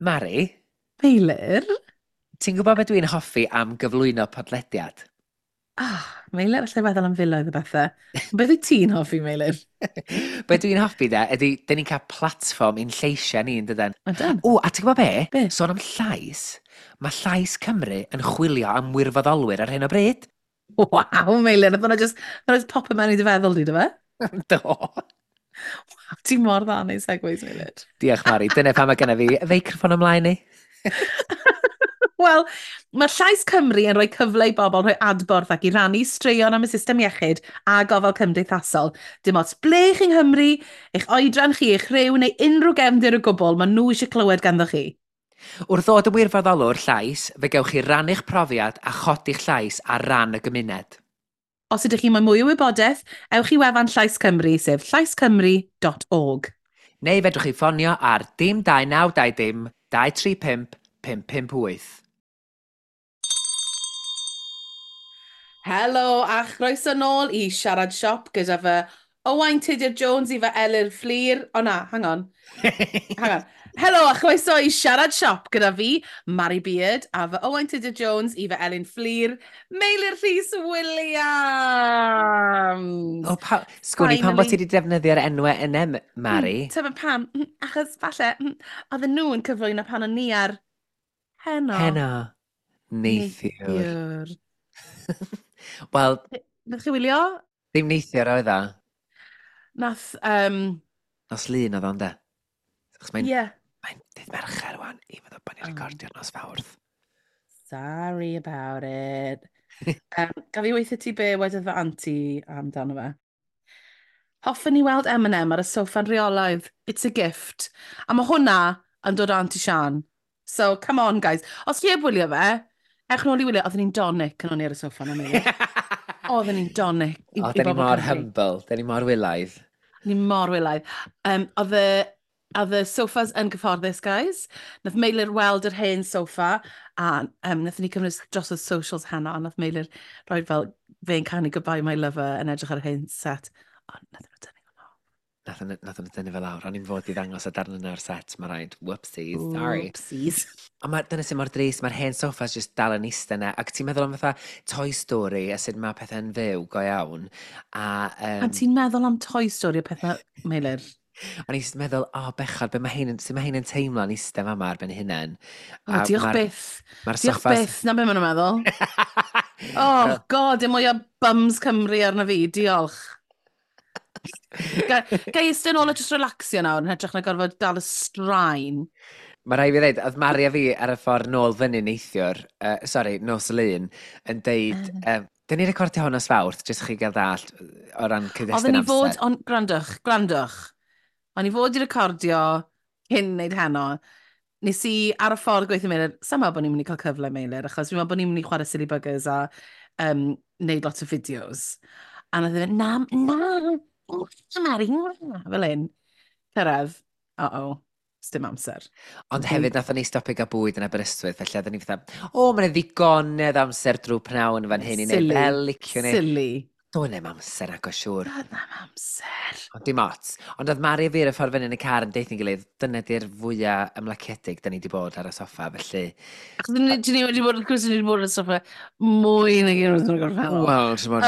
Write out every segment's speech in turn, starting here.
Mari? Meilir? Ti'n gwybod beth dwi'n hoffi am gyflwyno podlediad? Ah, Meilir, allai feddwl am filoedd o bethau. Beth wyt ti'n hoffi, Meilir? Be dwi'n hoffi de, ydy, dyn ni'n cael platfform i'n lleisiau ni, yn dydan? Ydan. O, a ti'n gwybod be? Be? Sôn am llais, mae Llais Cymru yn chwilio am wirfoddolwyr ar hyn o bryd. Waw, Meilir, nath hwnna just, nath hwnna just pop mewn i dy feddwl di, do fe? Do. Waw, ti mor dda yn neud segues, Meilir. Diolch, Mari. Dyna pam mae genna fi feicroffon ymlaen i. Wel, mae Llais Cymru yn rhoi cyfle i bobl rhoi adborth ac i rannu straeon am y system iechyd a gofal cymdeithasol. Dim ots ble chi yng Nghymru, eich oedran chi, eich rhyw neu unrhyw gefndir o gwbl, maen nhw eisiau clywed ganddo chi. Wrth ddod yn wirfoddolwr llais, fe gewch chi rannu'ch profiad a chodi'ch llais ar ran y gymuned. Os ydych chi moyn mwy o wybodaeth, ewch i wefan Llais Cymru, sef llaiscymru.org. Neu fedrwch chi ffonio ar dim 2920 235 558. Helo a chroeso nôl i Siarad Siop gyda fy Owain Tudur Jones i fy Elyr Fflur. O na, hang on. Hang on. Helo a chroeso i Siarad Siop gyda fi, Mari Beard, a fy Owain Tudur Jones i fy Elin Fflur, Meilir Rhys Williams. O, pa... Sgwn i pam bod ti wedi defnyddio'r enwau yna, Mari? Tyfa pam, achos falle, oedden nhw yn cyflwyno pan o'n ni ar Heno. Heno. Neithiwr. Wel... Nath chi wylio? Ddim neithiwr oedd o. Nath... Nos Lun oedd o, ynde? Achos mae'n... Yeah. Mae'n dydd Mercher wan, i fod o bod ni'n recordio'r nos Fawrth. Sorry about it. Gaf i weithio ti be wedodd fy anti amdano fe? Hoffwn i weld Eminem ar y soffa'n rheolaidd. It's a gift. A mae hwnna yn dod o Auntie Sian. So, come on, guys. Os chi heb wylio fe, ewch nôl i wylio. Oedden ni'n donic yn o'n i ar y soffa na mi. Oedden ni'n donic. O, dyn ni mor humble. Dyn ni mor wylaidd. Ni mor wylaidd. Oedd y sofas yn gyfforddus, guys. Nath Meilir weld yr hen soffa, a nath ni cymryd dros y socials heno, a nath Meilir rhoi fel fe'n canu "Goodbye My Lover" yn edrych ar yr hen set. Ond nath nhw dynnu hwnna. Nath nhw dynnu fe lawr. O'n i'n fod i ddangos y darn yna o'r set, mae rhaid. Whoopsies, sorry. Whoopsies. Ond mae, dyna sy'n mor drist, mae'r hen soffas jyst dal yn eistedd yna. Ac ti'n meddwl am fatha Toy Story a sut mae pethau'n fyw go iawn. A, Pan ti'n meddwl am Toy Story a pethau, Meilir? O'n i'n just meddwl, o, oh, bechod, be mae hein, sut mae hein yn teimlo yn eistedd fama ar ben eu hunain. O, diolch byth. Mae'r Diolch soffas. byth, na be maen nhw'n meddwl. Oh, God, dim mwy o bums Cymru arno fi, diolch. Ga i eistedd nôl a just relaxio nawr yn hytrach na gorfod dal y straen. Mae rhaid fi ddweud, oedd Mari a fi ar y ffordd nôl fyny neithiwr, sorry, nos Lun, yn deud, dyn ni'n recordio hwn nos Fawrth, jyst chi gael ddallt o ran cyd-destun Oedden ni fod, amser. on, gwrandwch, gwrandwch. O'n i fod i recordio cyn wneud heno. Nes i ar y ffordd gweithio Meilir, sa'n meddwl bod ni'n mynd i cael cyfle, Meilir, achos fi'n meddwl bod ni'n mynd i chwarae Silly Buggers a wneud lot o fideos. A nath e fynd, na, na, na, Mari, na, fel un. Cyrraedd, uh-oh, dim amser. Ond hefyd, nathon ni stopio gael bwyd yn Aberystwyth, felly oedden ni fatha, o, mae'n ddigonedd amser drwy pnawn fan hyn i wneud Silly. fel liciwn ni. Silly. Doedd na'm amser ac o siŵr. Doedd na'm amser. Ond dim ots. Ond oedd Mari a fi ar y ffordd fyny yn y car yn deutho'n gilydd, dyna di'r fwyaf ymlaciedig da ni wedi bod ar y soffa, felly. Achos dyn ni wedi bod, wrth gwrs, dyn ni wedi bod ar y soffa mwy nag unwaith yn y gorffennol. Wel, ti'n bod.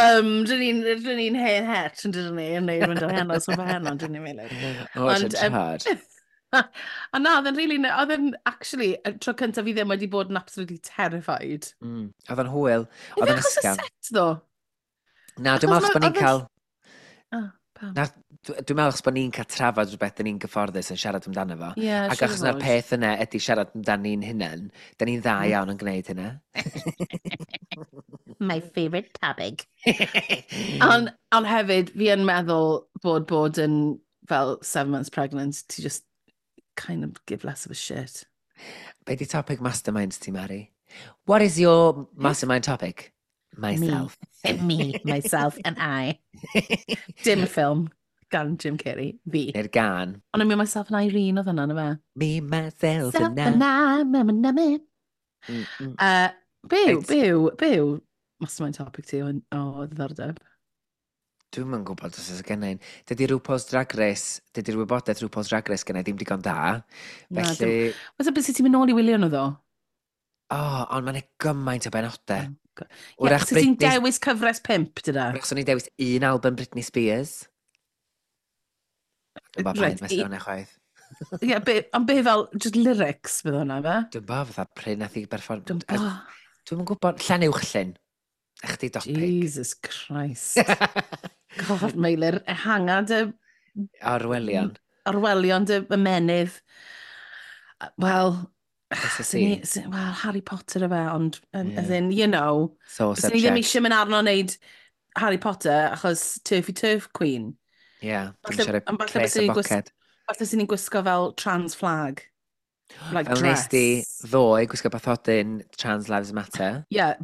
Dyn ni'n hen het, yn dyn ni, yn neud mynd o heno, soffa heno, dyn ni'n meddwl. O, Ond, ti'n siarad. A na, oedd e'n really, oedd e'n actually, y tro cyntaf fi ddim wedi bod yn absolutely terrified. Oedd o'n hwyl. Oedd Oedd o'n achos y ysgafn. set, ddo? Na, dwi'n Achos meddwl achos bod ni'n oedd e'n cael. Oh, pam? Na, dwi'n meddwl achos bod ni'n cael trafod rhywbeth dyn ni'n gyfforddus yn siarad amdano fo. Ie, Ac siŵr achos na'r fod. peth yna ydy siarad amdano ni'n hunain, da ni'n dda iawn yn gwneud hynna. My favourite topic. Ond hefyd, fi yn meddwl bod yn fel 7 months pregnant, ti just kind of give less of a shit. Be di topic mastermind ti, Mari? What is your mastermind topic? Myself. Me, myself and I. Dim ffilm gan Jim Carrey, fi. Neu'r gan. Ond I mean, Myself and Irene oedd hwnna, na fe? Me, myself Self and I. and I, me, me, me, me. Byw, byw, byw. Mastermind topic ti o ddiddordeb. Dwi'm yn gwybod os oes gen i. Dydy RuPaul's Drag Race, dydy'r wybodaeth RuPaul's Drag Race gen i ddim digon da. Na, Felly, Wel, beth sy'n ti'n mynd nôl i wylio nhw ddo? O, oh, ond mae'n gymaint o benodau. Oh, God. Ie, Wrach so ti'n Britney, dewis cyfres 5, dyna? wrach swn i'n dewis un album Britney Spears. Dwi'n bo Reit, paid mesur hwnna chwaith. Ie, be, ond be fel, just lyrics bydd hwnna, fe? Dwi'n bo fatha pryd nath i berfform. Dwi'n bo. Dwi'm yn gwybod, Llan Uwchllyn. Ych di dopig. Jesus Christ. God, Meilir, ehanga dy Orwelion. Orwelion dy ymenydd. Wel, It's a swn scene. Wel, Harry Potter y fe, ond, as in, So swn i ddim subject. eisiau mynd arno wneud Harry Potter achos Turfy Turf Queen. Yeah, dwi'n Falle- siarad ond falle pres byswn y i'n boced. Falle sy'n ni'n gwisgo fel trans flag. Like Fel nes dress. di ddoe gwisgo bathodyn Trans Lives Matter. Ie, yeah,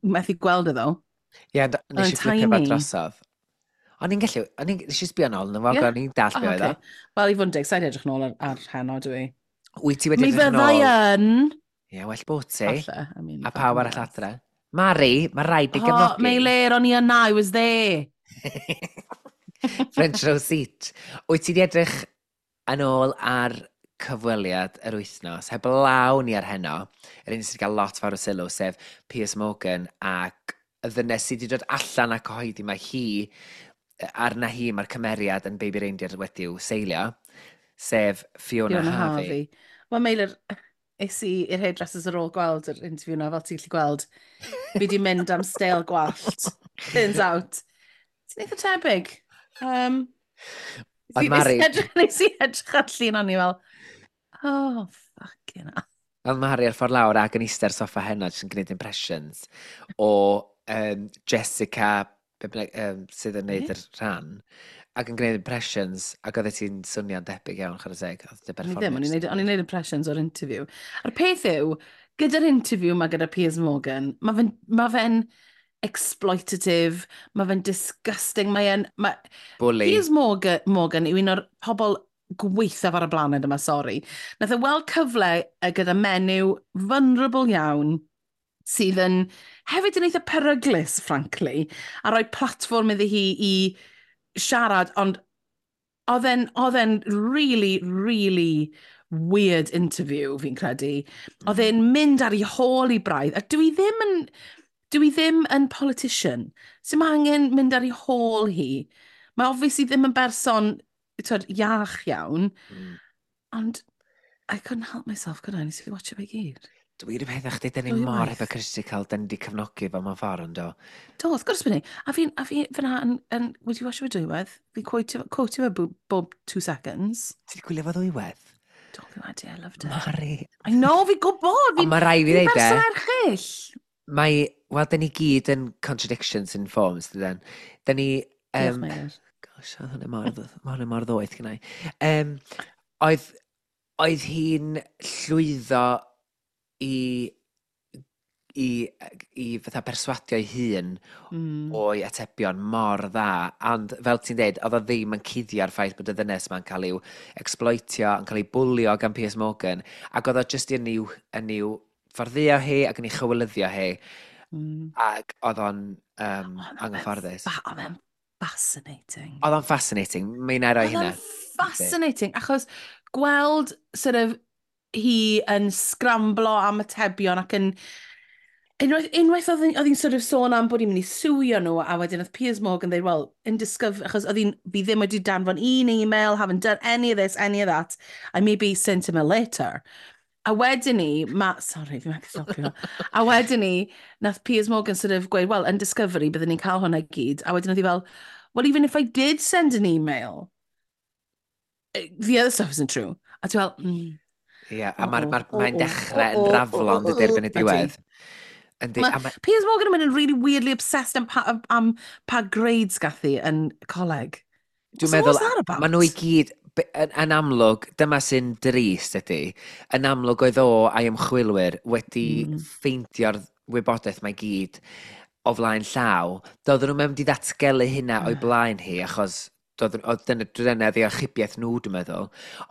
methu gweld e ddo. Ie, yeah, nes Oedd i flipio fe tiny. drosodd. O'n i'n gallu, o'n i'n, nes i sbio nôl, yn fo, Ie? o'n i'n dall Oh, be oedd o. okay. Wel, i fod yn deg, sa'n edrych nôl ar heno, dwi. Wyt ti wedi Mi edrych fyddai nôl? yn. Ie, well bod ti. Falle, I mean, A pawb fucking arall yes. adre. Mari, mae rhaid i Oh, gefnogi. Meilir, o'n i yna, I was there. French row seat. Wyt ti wedi edrych yn ôl ar cyfweliad yr wythnos, heb law ni ar heno, yr un sydd wedi cael lot fawr o sylw, sef Piers Morgan ac y ddynes sydd wedi dod allan a cyhoeddi mae hi, arna hi mae'r cymeriad yn Baby Reindeer wedi'w seilio, sef Fiona, Fiona Harvey. Harvey. Wel, Meilir, es i i'r hairdressers ar ôl gweld yr interview na, fel ti'n gallu gweld. Fi di mynd am steil gwallt. Turns out. Ti'n eitha tebyg. Oedd Mari- Nes i edrych ar llun o'n i fel, oh, fucking hell. Oedd Mari ar ffordd lawr ac yn eistedd ar soffa heno, jyst yn gwneud impressions o Jessica, be bynnag, sydd yn neud Ie. yr rhan, ac yn gwneud impressions, ac oedd ti'n swnio'n debyg iawn, chwarae teg. Oedd dy O'n i ddim, berfformiad jyst o'n i'n neud impressions o'r interview. A'r peth yw, gyda'r interview ma gyda Piers Morgan, ma fe'n exploitative, mae fe'n disgusting, mae e'n... Ma, Bully. Piers Morgan yw un o'r pobl gweithaf ar y blaned yma, sori. Nath e weld cyfle gyda menyw vulnerable iawn sydd yn hefyd yn eitha peryglus, frankly, a rhoi platfform iddi hi i siarad, ond oedd e'n really, really weird interview, fi'n credu. Oedd e'n mynd ar ei hôl i braidd, a dwi ddim yn politician. So mae angen mynd ar ei hôl hi. Mae obviously ddim yn berson twyd, iach iawn, ond I couldn't help myself, could I? Nes i watch it fe gyd. Dwi'n peth â chdi, dyn ni Dwy mor waith. hypocritical, dyn ni wedi cefnogi fo mewn ffordd, yndo. Do, wrth gwrs bod ni. A fi fyna yn wedi watch fe dwywaith. Fi quote fe bob 2 seconds. Ti wedi gwylio fo ddwywaith? Do, fi wedi, I loved it. Mari. I know, fi gwybod. Ond Fi'n mae rai fi fi ddeud e, berson erchyll. mae, wel, dyn ni gyd yn contradictions in forms, dyn. Dyn ni... Diolch, Meilir. Gosh, oedd hwnna mor, ma' hwnna mor ddoeth gynnau. Oedd hi'n llwyddo i fatha perswadio ei hun o'i atebion mor dda, ond fel ti'n deud, oedd o ddim yn cuddio'r ffaith bod y ddynes ma'n cael i'w exploitio, yn cael ei bwlio gan Piers Morgan, ac oedd o jyst yn i'w fforddio hi ac yn ei chywilyddio hi, ac oedd o'n Oedd o'n anghyfforddus. Oedd e'n fascinating. Oedd o'n fascinating, mae'n roi Oedd hynna. o'n fascinating, achos gweld sort of hi yn scramblo am atebion ac yn... Unwaith oedd hi'n sort of sôn am bod hi'n mynd i sueio nhw, a wedyn oedd Piers Morgan dweud, well, in discover, achos oedd hi'n, fi ddim wedi danfon un email, haven't done any of this, any of that, I maybe sent him a letter. A wedyn ni, ma, sorry, fi'n methu stopio. A wedyn ni, nath Piers Morgan sort of gweud, well, in Discovery, byddwn ni'n cael hwnna i gyd. A wedyn oedd hi fel, well, even if I did send an email, the other stuff isn't true. A ti'n fel, Ie, a mae'r O, ma, o, mae'n o, dechrau o, yn o, raflo o, yn dydy erbyn y o, ydi. diwedd. Yndi, Ma- a ma, Piers Morgan yn mynd yn really weirdly obsessed am pa grades gath hi yn coleg. Dwi'n So meddwl, what's that about? maen nhw i gyd, yn amlwg, dyma sy'n drist ydy, yn amlwg oedd o a'i ymchwilwyr wedi ffeindio'r wybodaeth mae gyd o flaen llaw. Doedden nhw'n mynd i ddatgelu hynna o'i blaen hi, achos oedd dyna ddi achubiaeth nhw, dwi'n meddwl.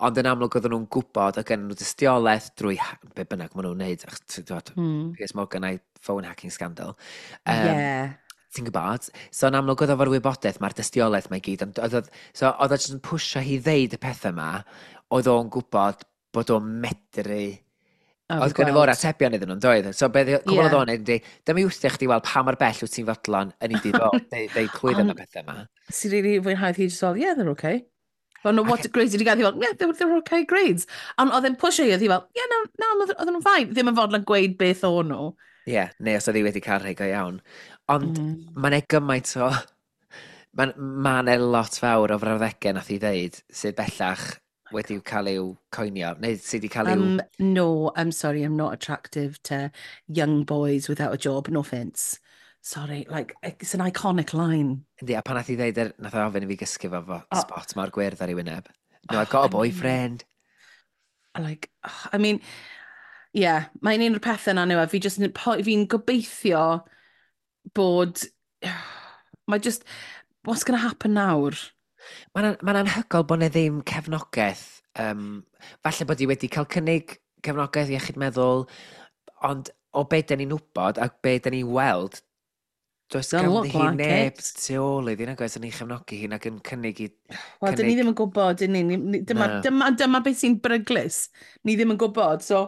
Ond yn amlwg oedden nhw'n gwybod, oedd gen nhw dystiolaeth drwy be bynnag maen nhw'n wneud, achos ti'n gwbod, Piers Morgan a'i phone hacking scandal. Yeah. Ti'n gwybod? So yn amlwg oedd efo'r wybodaeth, mae'r dystiolaeth mae gyd, ond oedd, so oedd o jyst yn pwysio hi ddeud y pethau yma, oedd o'n gwybod bod o'n medru. O, Oedd fi gynno fo'r gweld. atebion iddyn nhw'n doedd? So be cwbl oedd o'n neud ydi, dyma i wthio chdi weld pa mor bell wyt ti'n fodlon yn ei dydd o, deud clwydd am y Ond pethau yma. sy'n really fwynhau hi just fel, "Yeah, they're okay." Fel, no, what Ac grades did you get? Hi fel, "Yeah, they were okay grades." Ond oedd e'n pwysio hi, oedd hi fel, "Yeah, no, oedd nhw'n fine." Ddim yn fodlon gweud beth o'n nhw. Ie, yeah, neu os oedd hi wedi cael rhai go iawn. Ond mae'n e gymaint o... Mae'n ma 'na lot fawr o frawddegau nath i ddeud sydd bellach wedi cael eu coinio, neu sydd wedi cael eu. "No, I'm sorry, I'm not attractive to young boys without a job, no offence. Sorry," like, it's an iconic line. Yndi, a pan nath i ddeud, nath o ofyn i fi gysgu fo Oh, spot mor gwyrdd ar ei wyneb. "No, I've oh, got a I mean, boyfriend." Like, oh, I mean, yeah, mae'n un o'r pethau na nhw, a fi just, fi'n gobeithio bod, mae just, what's going to happen nawr? Mae'n ma anhygoel bod 'na ddim cefnogaeth. Falle bod hi wedi cael cynnig cefnogaeth iechyd meddwl, ond o be da ni'n wybod a be da ni'n weld, does Doesn't ganddi look hi like neb it. tu ôl iddi, nag oes, yn ei chefnogi hi ac yn cynnig i. Wel, dyn ni Cynnig. ddim yn gwybod, dyn ni. Dyma, Na. dyma beth sy'n beryglus. Ni ddim yn gwybod, so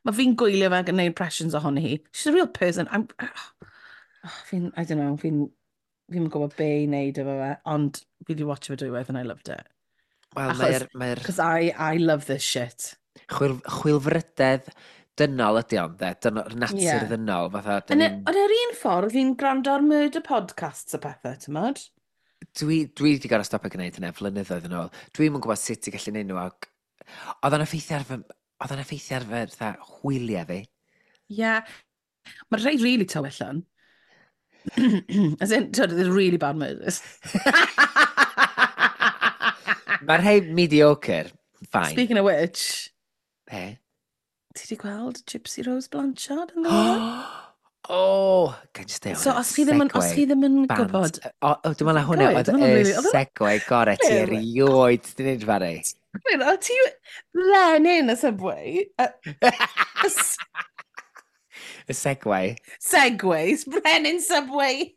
mae fi'n gwylio fe ac yn gwneud impressions ohoni hi. She's a real person. Oh, fi'n, I don't know, fi'n gwybod be i wneud efo fe, ond fi wedi watch fe dwywaith and I loved it. Wel, Achos, mae'r because I love this shit. Chwilfrydedd dynol ydy o'n, de? Dynol, natur ddynol, fatha, dyn Yn ni'n. Yn yr un ffordd, fi'n gwrando ar murder podcasts a pethau, ti'n modd? Dwi wedi gorfod stopio gwneud hynny flynyddoedd yn ôl. Dwi'm yn gwybod sut i gallu neud nhw. Ac oedd o'n effeithio ar fy fatha, hwyliau fi. Yeah. Mae'r rhai really tywyll yn. As in, twyd, they're really bad murders. Mae'r rhai mediocre, fine. Speaking of which, Be? ti wedi gweld Gypsy Rose Blanchard yn ddiweddar? Oh, can just stay on So, os chi ddim yn bant. gwybod. O, dwi'n meddwl na hwnna Gywir, oedd dwi'n meddwl y really segue gorau ti Gywir. erioed di wneud, Fari. Wait, o ti Lenin y subway? Y segue. Segways, Brenin Subway.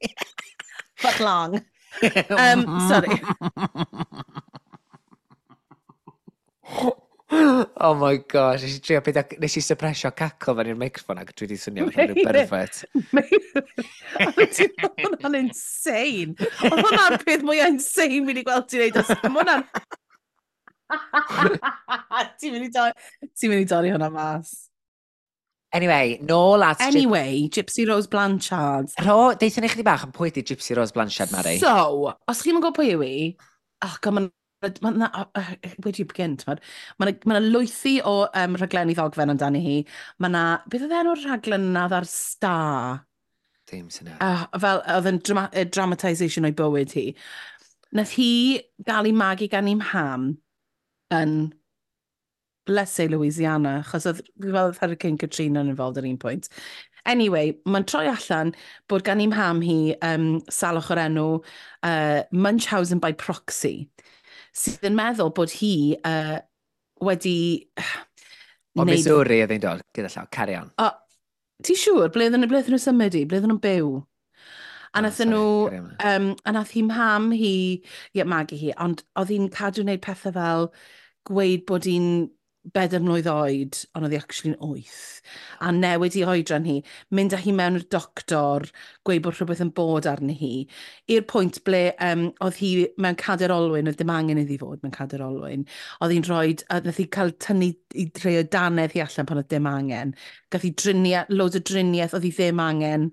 But long. Sorry. Oh my gosh, nes i trio peidio, nes i suppressio cackle fan i'r microphone ac dwi wedi swnio fatha rhyw pervert. Oedd hwnna'n insane. Oedd hwnna'n peth mwyaf insane fi wedi gweld ti'n neud. Mae hwnna'n... Ti'n mynd i dorri hwnna mas. Anyway, nôl at Anyway, Gypsy Rose Blanchard. Rho, deithio ni chdi bach yn pwy di Gypsy Rose Blanchard, Mari? So, os chi'n gwybod pwy yw hi, oh god, mae'n ma, na, where do you begin, t'mod? Mae yna ma lwythi o rhaglenni ddogfen amdani hi. Mae yna, beth oedd enw'r rhaglen yna oedd ar Star? Dim syniad. Fel, oedd yn dramatisation o'i bywyd hi. Nath hi gael ei magu gan ei mham yn, let's say, Louisiana, achos oedd, fi'n meddwl oedd Hurricane Katrina yn involved at un pwynt. Anyway, mae'n troi allan bod gan ei mham hi salwch o'r enw Munchausen by proxy, sydd yn meddwl bod hi wedi O wneud Missouri oedd hi'n dod, gyda llaw, carry on. O, ti'n siŵr? Ble oedden nhw symud i? Ble oedden nhw'n byw? A Oh, nath sorry, nhw, carry on. a nath hi mham hi, ie, magu hi, ond oedd hi'n cadw wneud pethau fel gweud bod hi'n 4 mlwydd oed, ond oedd hi actually'n 8. A newid i oedran hi, mynd â hi mewn i'r doctor, gweud bod rhywbeth yn bod arni hi, i'r pwynt ble oedd hi mewn cader olwyn, oedd dim angen iddi fod mewn cader olwyn. Oedd hi'n rhoi, a nath hi cael tynnu i rhai o dannedd hi allan pan oedd dim angen. Gath hi driniaeth, loads o driniaeth oedd hi ddim angen,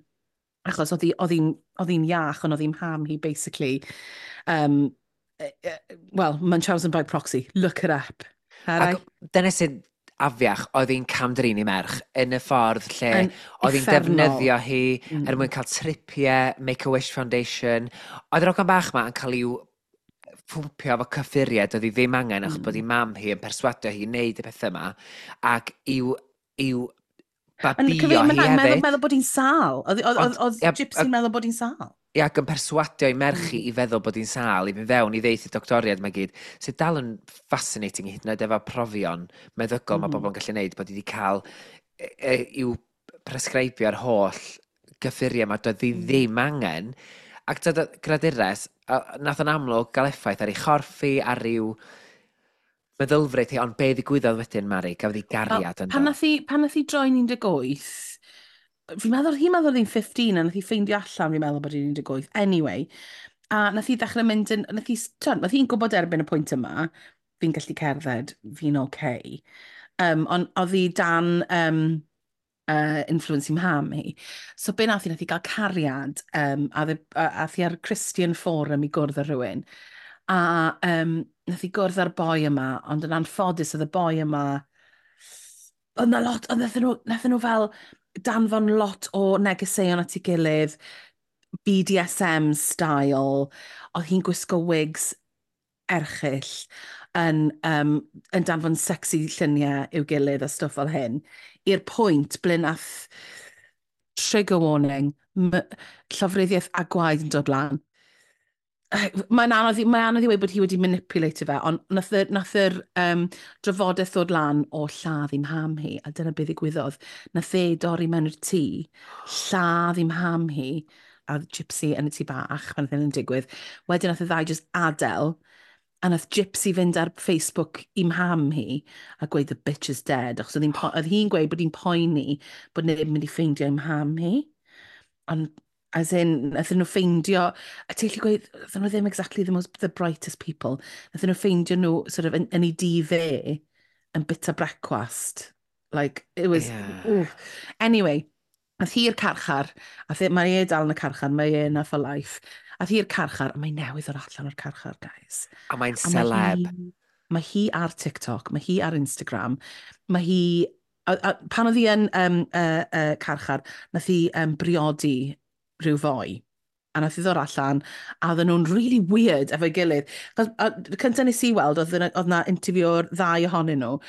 achos oedd hi'n iach, ond oedd hi'n mham hi, basically. Well, Munchausen by proxy, look it up. Ac dyna sy'n afiach, oedd hi'n camdrin i merch yn y ffordd lle Yn oedd hi'n uffernol. defnyddio hi er mwyn cael tripiau, Make-A-Wish Foundation. Oedd yr hogan bach ma yn cael i'w ffwmpio efo cyffuriau doedd hi ddim angen achos bod ei mam hi yn perswadio hi i wneud y pethau yma ac i'w Yn babio cyfeir, hi mae'n meddwl, hefyd. meddwl bod hi'n sâl. Oedd Ie, Gypsy'n meddwl bod hi'n sâl. Ie, ac yn perswadio i merch hi i feddwl bod hi'n sâl, i fynd fewn i ddeith y doctoriad mae gyd, sydd dal yn fascinating hyd yn oed efo profion meddygol mae bobl yn gallu neud, bod hi wedi cael i'w prescribio'r holl gyffuriau yma, doedd hi ddim angen. Ac tyd, gradures, nath yn amlwg gael effaith ar ei chorff hi, ar ryw meddylfryd hi, ond be ddigwyddodd wedyn, Mari? Gafodd hi gariad yn do. Pan nath hi droi'n 18, fi'n meddwl, hi'n meddwl hi'n 15 a nath hi ffeindio allan, fi'n meddwl bod hi'n 18. Anyway, a nath hi ddechrau mynd yn, nath hi, nath hi'n gwybod erbyn y pwynt yma, fi'n gallu cerdded, fi'n okay. Ond oedd hi dan influence i mham hi. So be nath hi gael cariad, a hi ar Christian Forum i gwrdd â rhywun. A nath hi gwrdd â'r boi yma, ond yn anffodus oedd y boi yma, oedd na lot, ond nath nhw fel danfon lot o negeseuon at ei gilydd, BDSM style, oedd hi'n gwisgo wigs erchyll yn danfon sexy lluniau i'w gilydd a stwff fel hyn, i'r pwynt ble nath trigger warning, llofruddiaeth a gwaed yn dod lan. Mae'n anodd i weud bod hi wedi manipulate fe, ond nath yr drafodaeth ddod lan o lladd i mham hi, a dyna beth ddigwyddodd. Nath e dorri mewn i'r tŷ, lladd i mham hi, a Gypsy yn y tŷ bach pan oedd hyn yn digwydd. Wedyn nath y ddau just adael, a nath Gypsy fynd ar Facebook i mham hi a gweud "The bitch is dead", achos oedd hi'n gweud bod hi'n poeni bod neb yn mynd i ffeindio i mham hi. Ond, as in, nath nhw ffeindio, a ti'n gallu gweud, nath nhw ddim exactly the brightest people. Nath nhw ffeindio nhw sort of yn ei dŷ fe yn bita brecwast. Like, it was. Yeah. Anyway, nath hi'r carchar, a mae e dal yn y carchar, mae e yna for life. Ath hi'r carchar, a mae newydd o'r allan o'r carchar, guys. A mae'n celeb. Mae hi ar TikTok, mae hi ar Instagram, mae hi. A pan oedd hi yn carchar, nath hi briodi rhyw foi. A nath hi ddod allan, a oedden nhw'n really weird efo'i gilydd. Cos, cyntaf nes i weld, oedd na interview o'r ddau ohonyn nhw,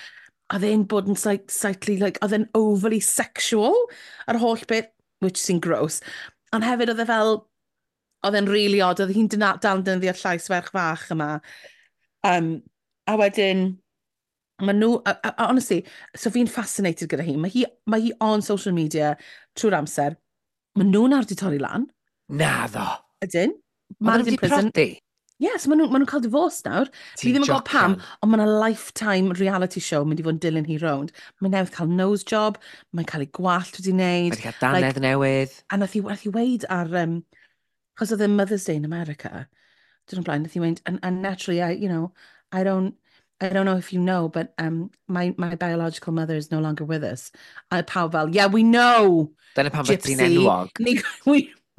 a oedd e'n bod yn slightly, like, oedd e'n overly sexual, ar holl beth, which sy'n gross. Ond hefyd oedd e fel, oedd e'n really odd, oedd hi'n dal yn defnyddio llais ferch fach yma. A wedyn, mae nhw, a honestly, so fi'n fascinated gyda hi. Mae hi on social media trwy'r amser. Mae nhw nawr wedi torri lan. Naddo. Ydyn. Maen nhw wedi prodi? Yes, maen nhw'n cael divorce nawr. Fi ddim yn gwybod pam, ond mae yna lifetime reality show mynd i fod yn dilyn hi rownd. Mae'n newydd cael nose job, mae'n cael ei gwallt wedi wneud. Mae'n cael dannedd like, newydd. A nath hi weid ar, chos oedd e Mother's Day in America, dyn nhw'n blaen, nath hi weid, and naturally, I, you know, I don't, I don't know if you know, but my biological mother is no longer with us." A pawb fel, "Yeah, we know." Dyna pam bod ti'n enwog.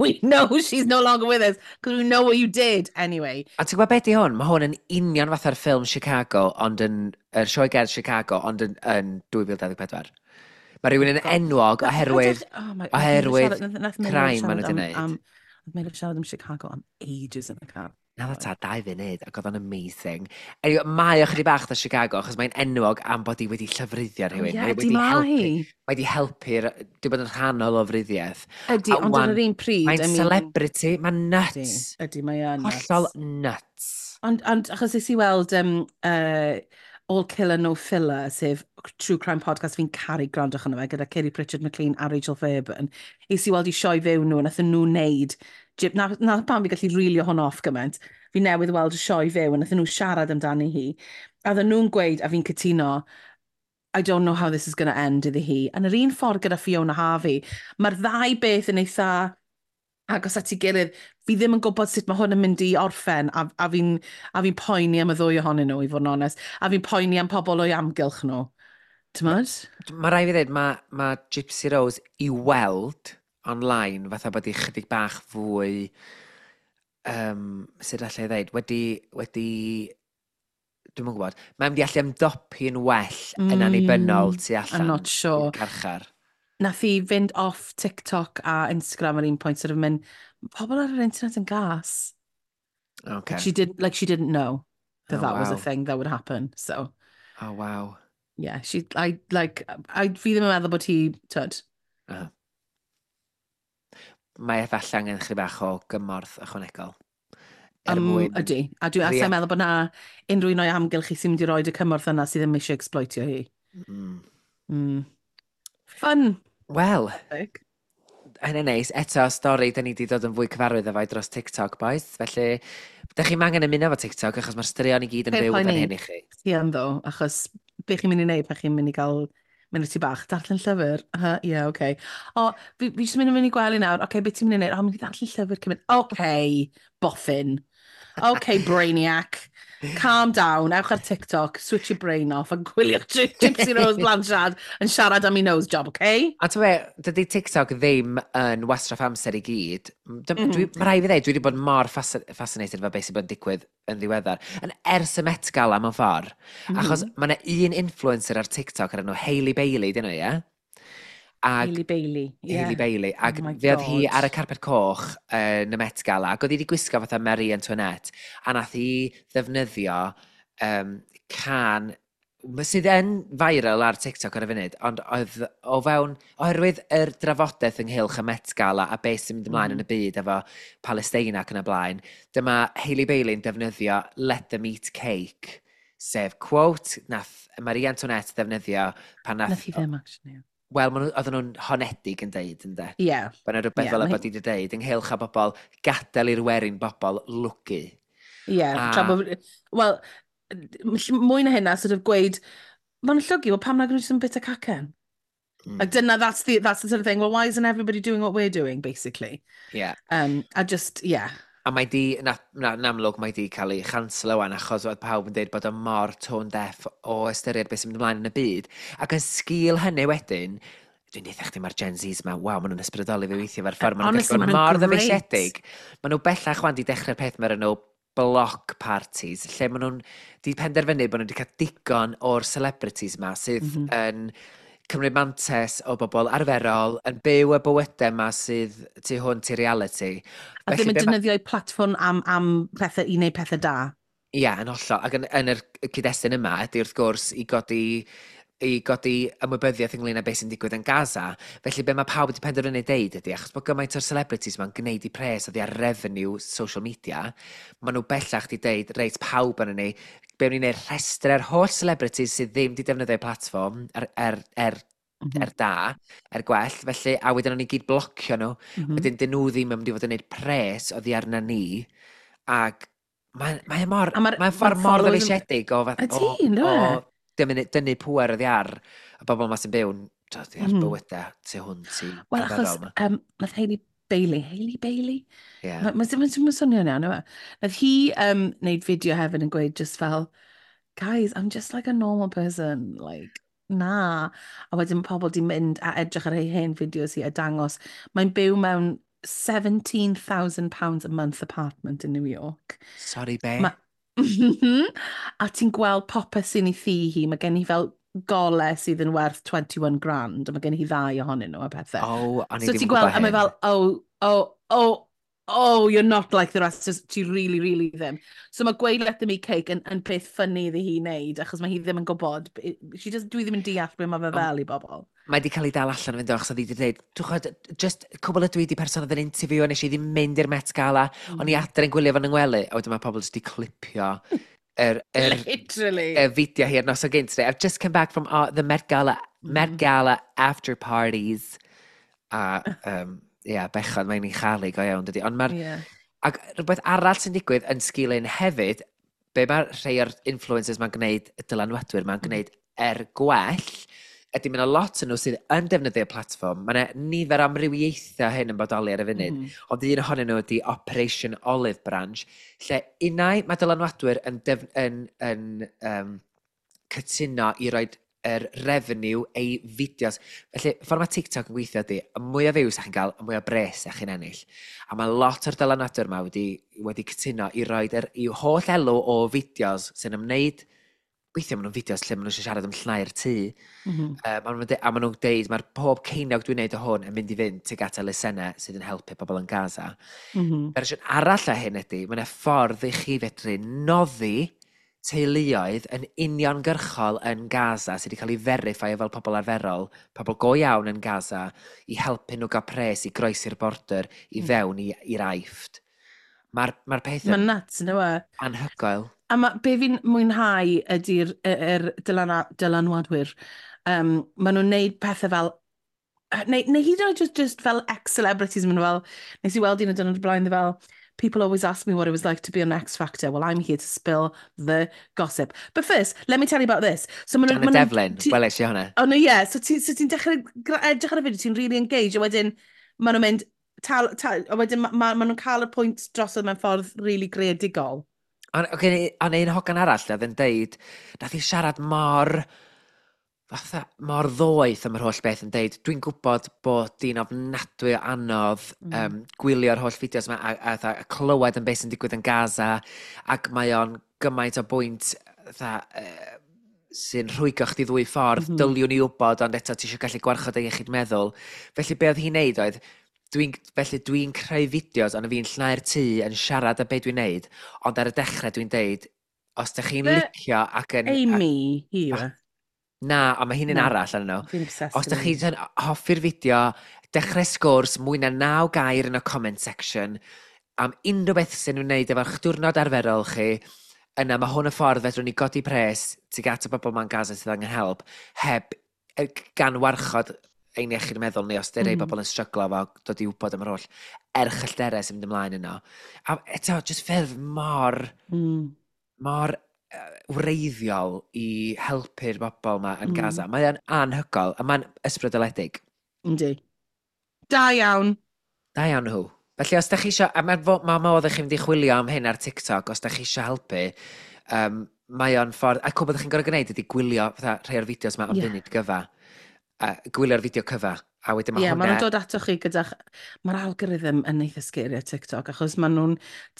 We know she's no longer with us, because we know what you did. Anyway. A ti'n gwybod beth di hwn? Mae hwn yn union fatha'r ffilm Chicago, ond yn, yr sioe gerdd Chicago, ond yn 2024. Mae rhywun yn enwog oherwydd, oh my, oherwydd crime maen nhw wedi gwneud. Nath Meilir siarad am Chicago am ages yn y car. Na dda ta, 2 funud, ac oedd o'n amazing. Anyway, mae o chydig bach o Chicago, achos mae'n enwog am bod hi wedi llofruddio rhywun. Oh, yeah, wedi helpu, mae wedi helpu'r, di bod yn rhan o lofruddiaeth. Ydy, ond ar yr un pryd. Mae'n I mean, celebrity, mae'n nuts. Ydy, ydy, mae yn nuts. Hollol nuts. Ond achos es i weld All Killer No Filler, sef true crime podcast fi'n caru gwrando arno fe, gyda Kiri Pritchard McLean a Rachel Fairburn. Es i weld i sioe fyw nhw, nath nhw wneud, na pam fi gallu reelio hwn off gymaint, fi newydd weld y sioe fyw, a nath nhw siarad amdani hi. A oedden nhw'n gweud, a fi'n cytuno, "I don't know how this is going to end" iddi hi. Yn yr un ffordd gyda Fiona Harvey, mae'r ddau beth yn eitha agos at ei gilydd. Fi ddim yn gwybod sut mae hwn yn mynd i orffen, a fi poeni am y ddwy ohonyn nhw, i fod yn onest. A fi'n poeni am pobl o'i amgylch nhw. T'mod? Mae rhaid fi ddweud, mae Gypsy Rose i weld online fatha bod i chydig bach fwy, sut allai ddweud, wedi, dwi'n yn gwybod, mae'n mynd i allu ymdopi yn well yn annibynnol tu allan I'm not sure. carchar. Nath hi fynd off TikTok a Instagram ar un pwynt, sort of mynd, "Pobl ar yr internet yn gas." Okay. Like she didn't know that that was a thing that would happen. So. Oh, wow. Yeah, she, I, like, I, fi ddim yn meddwl bod hi, tyd. Mae efallai angen chydig bach o gymorth ychwanegol. Er mwyn. Ydy. A dwi'n yeah. meddwl bod na unrhyw un o'i amgylch hi sy'n mynd i roi y cymorth yna sydd ddim eisiau exploitio hi. Fun. Wel, Hynny'n neis. Eto, stori, da ni wedi dod yn fwy cyfarwydd efo dros TikTok, boys. Felly, da chi'n angen ymuno efo TikTok, achos mae'r straeon i gyd yn Paid fyw fan poeni. hyn i chi. Ti yn ddo, achos be chi'n mynd i wneud pan chi'n mynd i gael mynd i bach, darllen llyfr. Yeah, okay. O, fi jyst mynd i gwely nawr. Okay, beth ti'n mynd i wneud? O, mynd i ddarllen llyfr cyn mynd. Okay, boffin. Okay, brainiac. Calm down, ewch ar TikTok, switch your brain off a gwyliwch Gypsy Rose Blanchard yn siarad am ei nose job, okay? A ti'n be, dydy TikTok ddim yn wastraff amser i gyd. Mae rhaid fi ddweud, dwi wedi bod mor fascinated efo beth sy'n bod yn digwydd yn ddiweddar. Yn ers y Met Gala mewn ffordd. Achos mae yna un influencer ar TikTok ar enw Hailey Bailey, dyn nhw, ie? Ag, Hailey Bailey, yeah. Hailey Bailey. Ac Oh my fe oedd hi God. ar y carpet coch yn y Met Gala, ac oedd hi wedi gwisgo fatha Marie Antoinette, a nath hi ddefnyddio cân sydd yn viral ar TikTok ar y funud, ond oedd o fewn, oherwydd yr drafodaeth ynghylch y Met Gala a beth sy'n mynd ymlaen yn y byd efo Palestina ac yn y blaen, dyma Hailey Bailey'n defnyddio "Let them eat cake", sef quote nath Marie Antoinette ddefnyddio pan nath Nath hi ddim, actually. Wel, oedden nhw'n honedig yn deud, ynde? Ie. Yeah. Bod yna rhywbeth Ie, fel y mae bod i wedi deud ynghylch a bobl gadael i'r werin bobl lwgu. Ie, tra bod. Wel, mwy na hynna, sort of gweud, ma'n llwgu, wel pam nag nhw jyst yn bit o cacen? Like, dyna, that's the sort of thing, well, why isn't everybody doing what we're doing, basically? Yeah. A just, yeah. A mae di, na, yn amlwg, mae di cael ei chanslo wan achos oedd pawb yn dweud bod o mor tone deaf o ystyried beth sy'n mynd ymlaen yn y byd. Ac yn sgil hynny wedyn, dwi'n deud chdi, mae'r Gen Zs ma, waw, maen nhw'n ysbrydoli fi weithio fe'r ffordd. Maen nhw'n Honestly, gallu bod maen nhw'n mor great. ddyfeisiedig. Maen nhw bellach wan di dechrau'r peth mae'r enw block parties, lle maen nhw'n di penderfynu bod nhw wedi cael digon o'r celebrities ma sydd yn cymryd mantes o bobl arferol, yn byw y bywydau yma sydd tu hwnt i reality. A ddim yn be defnyddio eu platfform am pethau i wneud pethau da. Ie, yn hollol. Ac yn yr cyd-destun yma, ydy wrth gwrs i godi ymwybyddiaeth ynglyn â beth sy'n digwydd yn Gaza. Felly be mae pawb wedi penderfynu deud ydy, achos bod gymaint o'r celebrities ma'n gwneud i pres oddi ar revenue social media, maen nhw bellach wedi deud, reit, pawb yn ni, be wnawn ni'n neud rhestr ar holl celebrities sydd ddim wedi defnyddio platfform er da, er gwell, felly, a wedyn o'n ni gyd blocio nhw. Wedyn, dyn nhw ddim yn mynd i fod yn gwneud pres oddi arna ni, ac mae mor, A mae'n ffordd ma'r mor followers ddyfeisiedig o, fath, Ydi, ynddo o e? dynnu pŵer oddi ar y bobl yma sy'n byw'n dod ar bywydau tu hwnt i Wel, achos arferol 'ma. nath Hailey Bailey, Hailey Bailey? Ie. Mae'n ma swnio'n iawn, yw e? Nath hi wneud fideo hefyd yn gweud just fel, "Guys, I'm just like a normal person, like, na." A wedyn mae pobl di mynd a edrych ar ei hen fideos hi a dangos. Mae'n byw mewn £17,000 a month apartment in New York. Sorry, be? A ti'n gweld popeth sy'n ei thŷ hi. Mae gen hi fel gole sydd yn werth 21 grand, a mae gen hi ddau ohonyn nhw a pethau. Oh, o'n i So ddim ti'n yn gweld, gwybod a mae hyn. fel, Oh, you're not like the rest," just, ti really, really ddim. So mae gweud "let them eat cake" yn peth funny iddi hi wneud, achos mae hi ddim yn gwybod. She just, dwi ddim yn deall beth mae fe fel i bobl. Mae wedi cael ei dal allan yn fynd o, achos oedd hi wedi dweud, dwi'n gwybod, just cwbl ydw i di person oedd yn interview, a nes i ddim mynd i'r Met Gala, o'n i adre yn gwylio fo'n yng ngwely, a wedyn mae pobl jyst wedi clipio yr Literally. y fideo hi ar noson gynt. "I've just come back from the Met Gala, Met Gala after parties." A, yeah, bechod, mae'n ei chael ei go iawn, dydy. Ond mae'r Ac rhywbeth arall sy'n digwydd yn sgil hyn hefyd, be mae rhai o'r influencers ma'n gwneud, y dylanwadwyr ma'n gwneud er gwell, ydy mae yna lot yn nhw sydd yn defnyddio platfform. Mae yna nifer amrywiaethau hyn yn bodoli ar y funud. Ond un ohonyn nhw ydy Operation Olive Branch, lle unai mae dylanwadwyr yn cytuno i roi yr revenue ei fideos. Felly, ffordd mae TikTok yn gweithio ydy, y mwy o views ych chi'n cael, y mwy o bres ych chi'n ennill. A mae lot o'r dylanwadwyr yma wedi cytuno i roi i'w holl elw o fideos sy'n ymwneud. Weithiau maen nhw'n fideos lle maen nhw'n siarad am llnau'r tŷ. A maen nhw'n deud, mae'r pob ceiniog dwi'n neud o hwn yn mynd i fynd tuag at elusennau sydd yn helpu pobl yn Gaza. Fersiwn arall o hyn ydy, mae yna ffordd i chi fedru noddi teuluoedd yn uniongyrchol yn Gaza sydd wedi cael ei verify fel pobl arferol, pobl go iawn yn Gaza, i helpu nhw gael pres i groesi'r border i fewn i'r Aifft. Mae'r peth Mae'n yn nuts, ynddo e? anhygoel. A ma, be fi'n mwynhau ydy'r yr dylanwadwyr. Maen nhw'n neud pethau fel Neu hyd yn oed just fel ex-celebrities yn mynd fel, nes i weld un o dyn o'r blaen fel, "People always ask me what it was like to be on X Factor. Well, I'm here to spill the gossip. But first, let me tell you about this." So ma Janet Devlin, weles i hwnna. Oh, no, yeah. So ti'n so ti dechrau edrych ar y fideo, ti'n really engage, a wedyn maen nhw'n mynd, tal, tal, a wedyn ma nhw'n cael y pwynt drosodd mewn ffordd really greadigol. Ond okay, on un hogan arall oedd yn deud, nath i siarad mor, fatha, mor ddoeth am yr holl beth yn deud, "Dwi'n gwybod bod di'n ofnadwy o anodd gwylio'r holl fideos yma a clywed yn beth sy'n digwydd yn Gaza, ac mae o'n gymaint o bwynt fatha, sy'n rhwygo chdi ddwy ffordd, dyliwn i wybod, ond eto ti eisiau gallu gwarchod ei iechyd meddwl." Felly be oedd hi'n neud oedd, felly dwi'n creu fideos, ond fi'n llnau'r tŷ yn siarad am be dwi'n neud, ond ar y dechrau dwi'n deud, os ydych chi'n licio ac yn Amy, hi yw e? Na, ond mae hi'n un arall arno nhw. Fi'n obsessed Os ydych chi'n hoffi'r fideo, dechrau sgwrs mwy na 9 gair yn y comment section am unrhyw beth sy'n wneud efo'ch diwrnod arferol chi, yna mae hwn y ffordd fedrwn ni godi pres tuag at y bobl ma'n Gaza sydd angen help, heb gan warchod ein iechyd meddwl ni os dy'r rhai bobl yn stryglo efo dod i wybod am yr holl erchyllterau sy'n mynd ymlaen yno. A eto, just ffyrdd mor, mor wreiddiol i helpu'r bobl yma yn Gaza. Mae o'n anhygoel, a mae'n ysbrydoledig. Yndi. Da iawn. Da iawn nhw. Felly os da chi isio, a mae ma modd i chi fynd i chwilio am hyn ar TikTok, os da chi isio helpu, mae o'n ffordd, a cwbl ydych chi'n gorfod gwneud ydy gwylio fatha rhai o'r fideos yma am funud gyfa. A gwylio'r fideo cyfa. A wedyn mae Ie, maen hwnna. nhw'n dod atoch chi gyda. Mae'r algorithm yn eitha scary ar TikTok, achos maen nhw'n...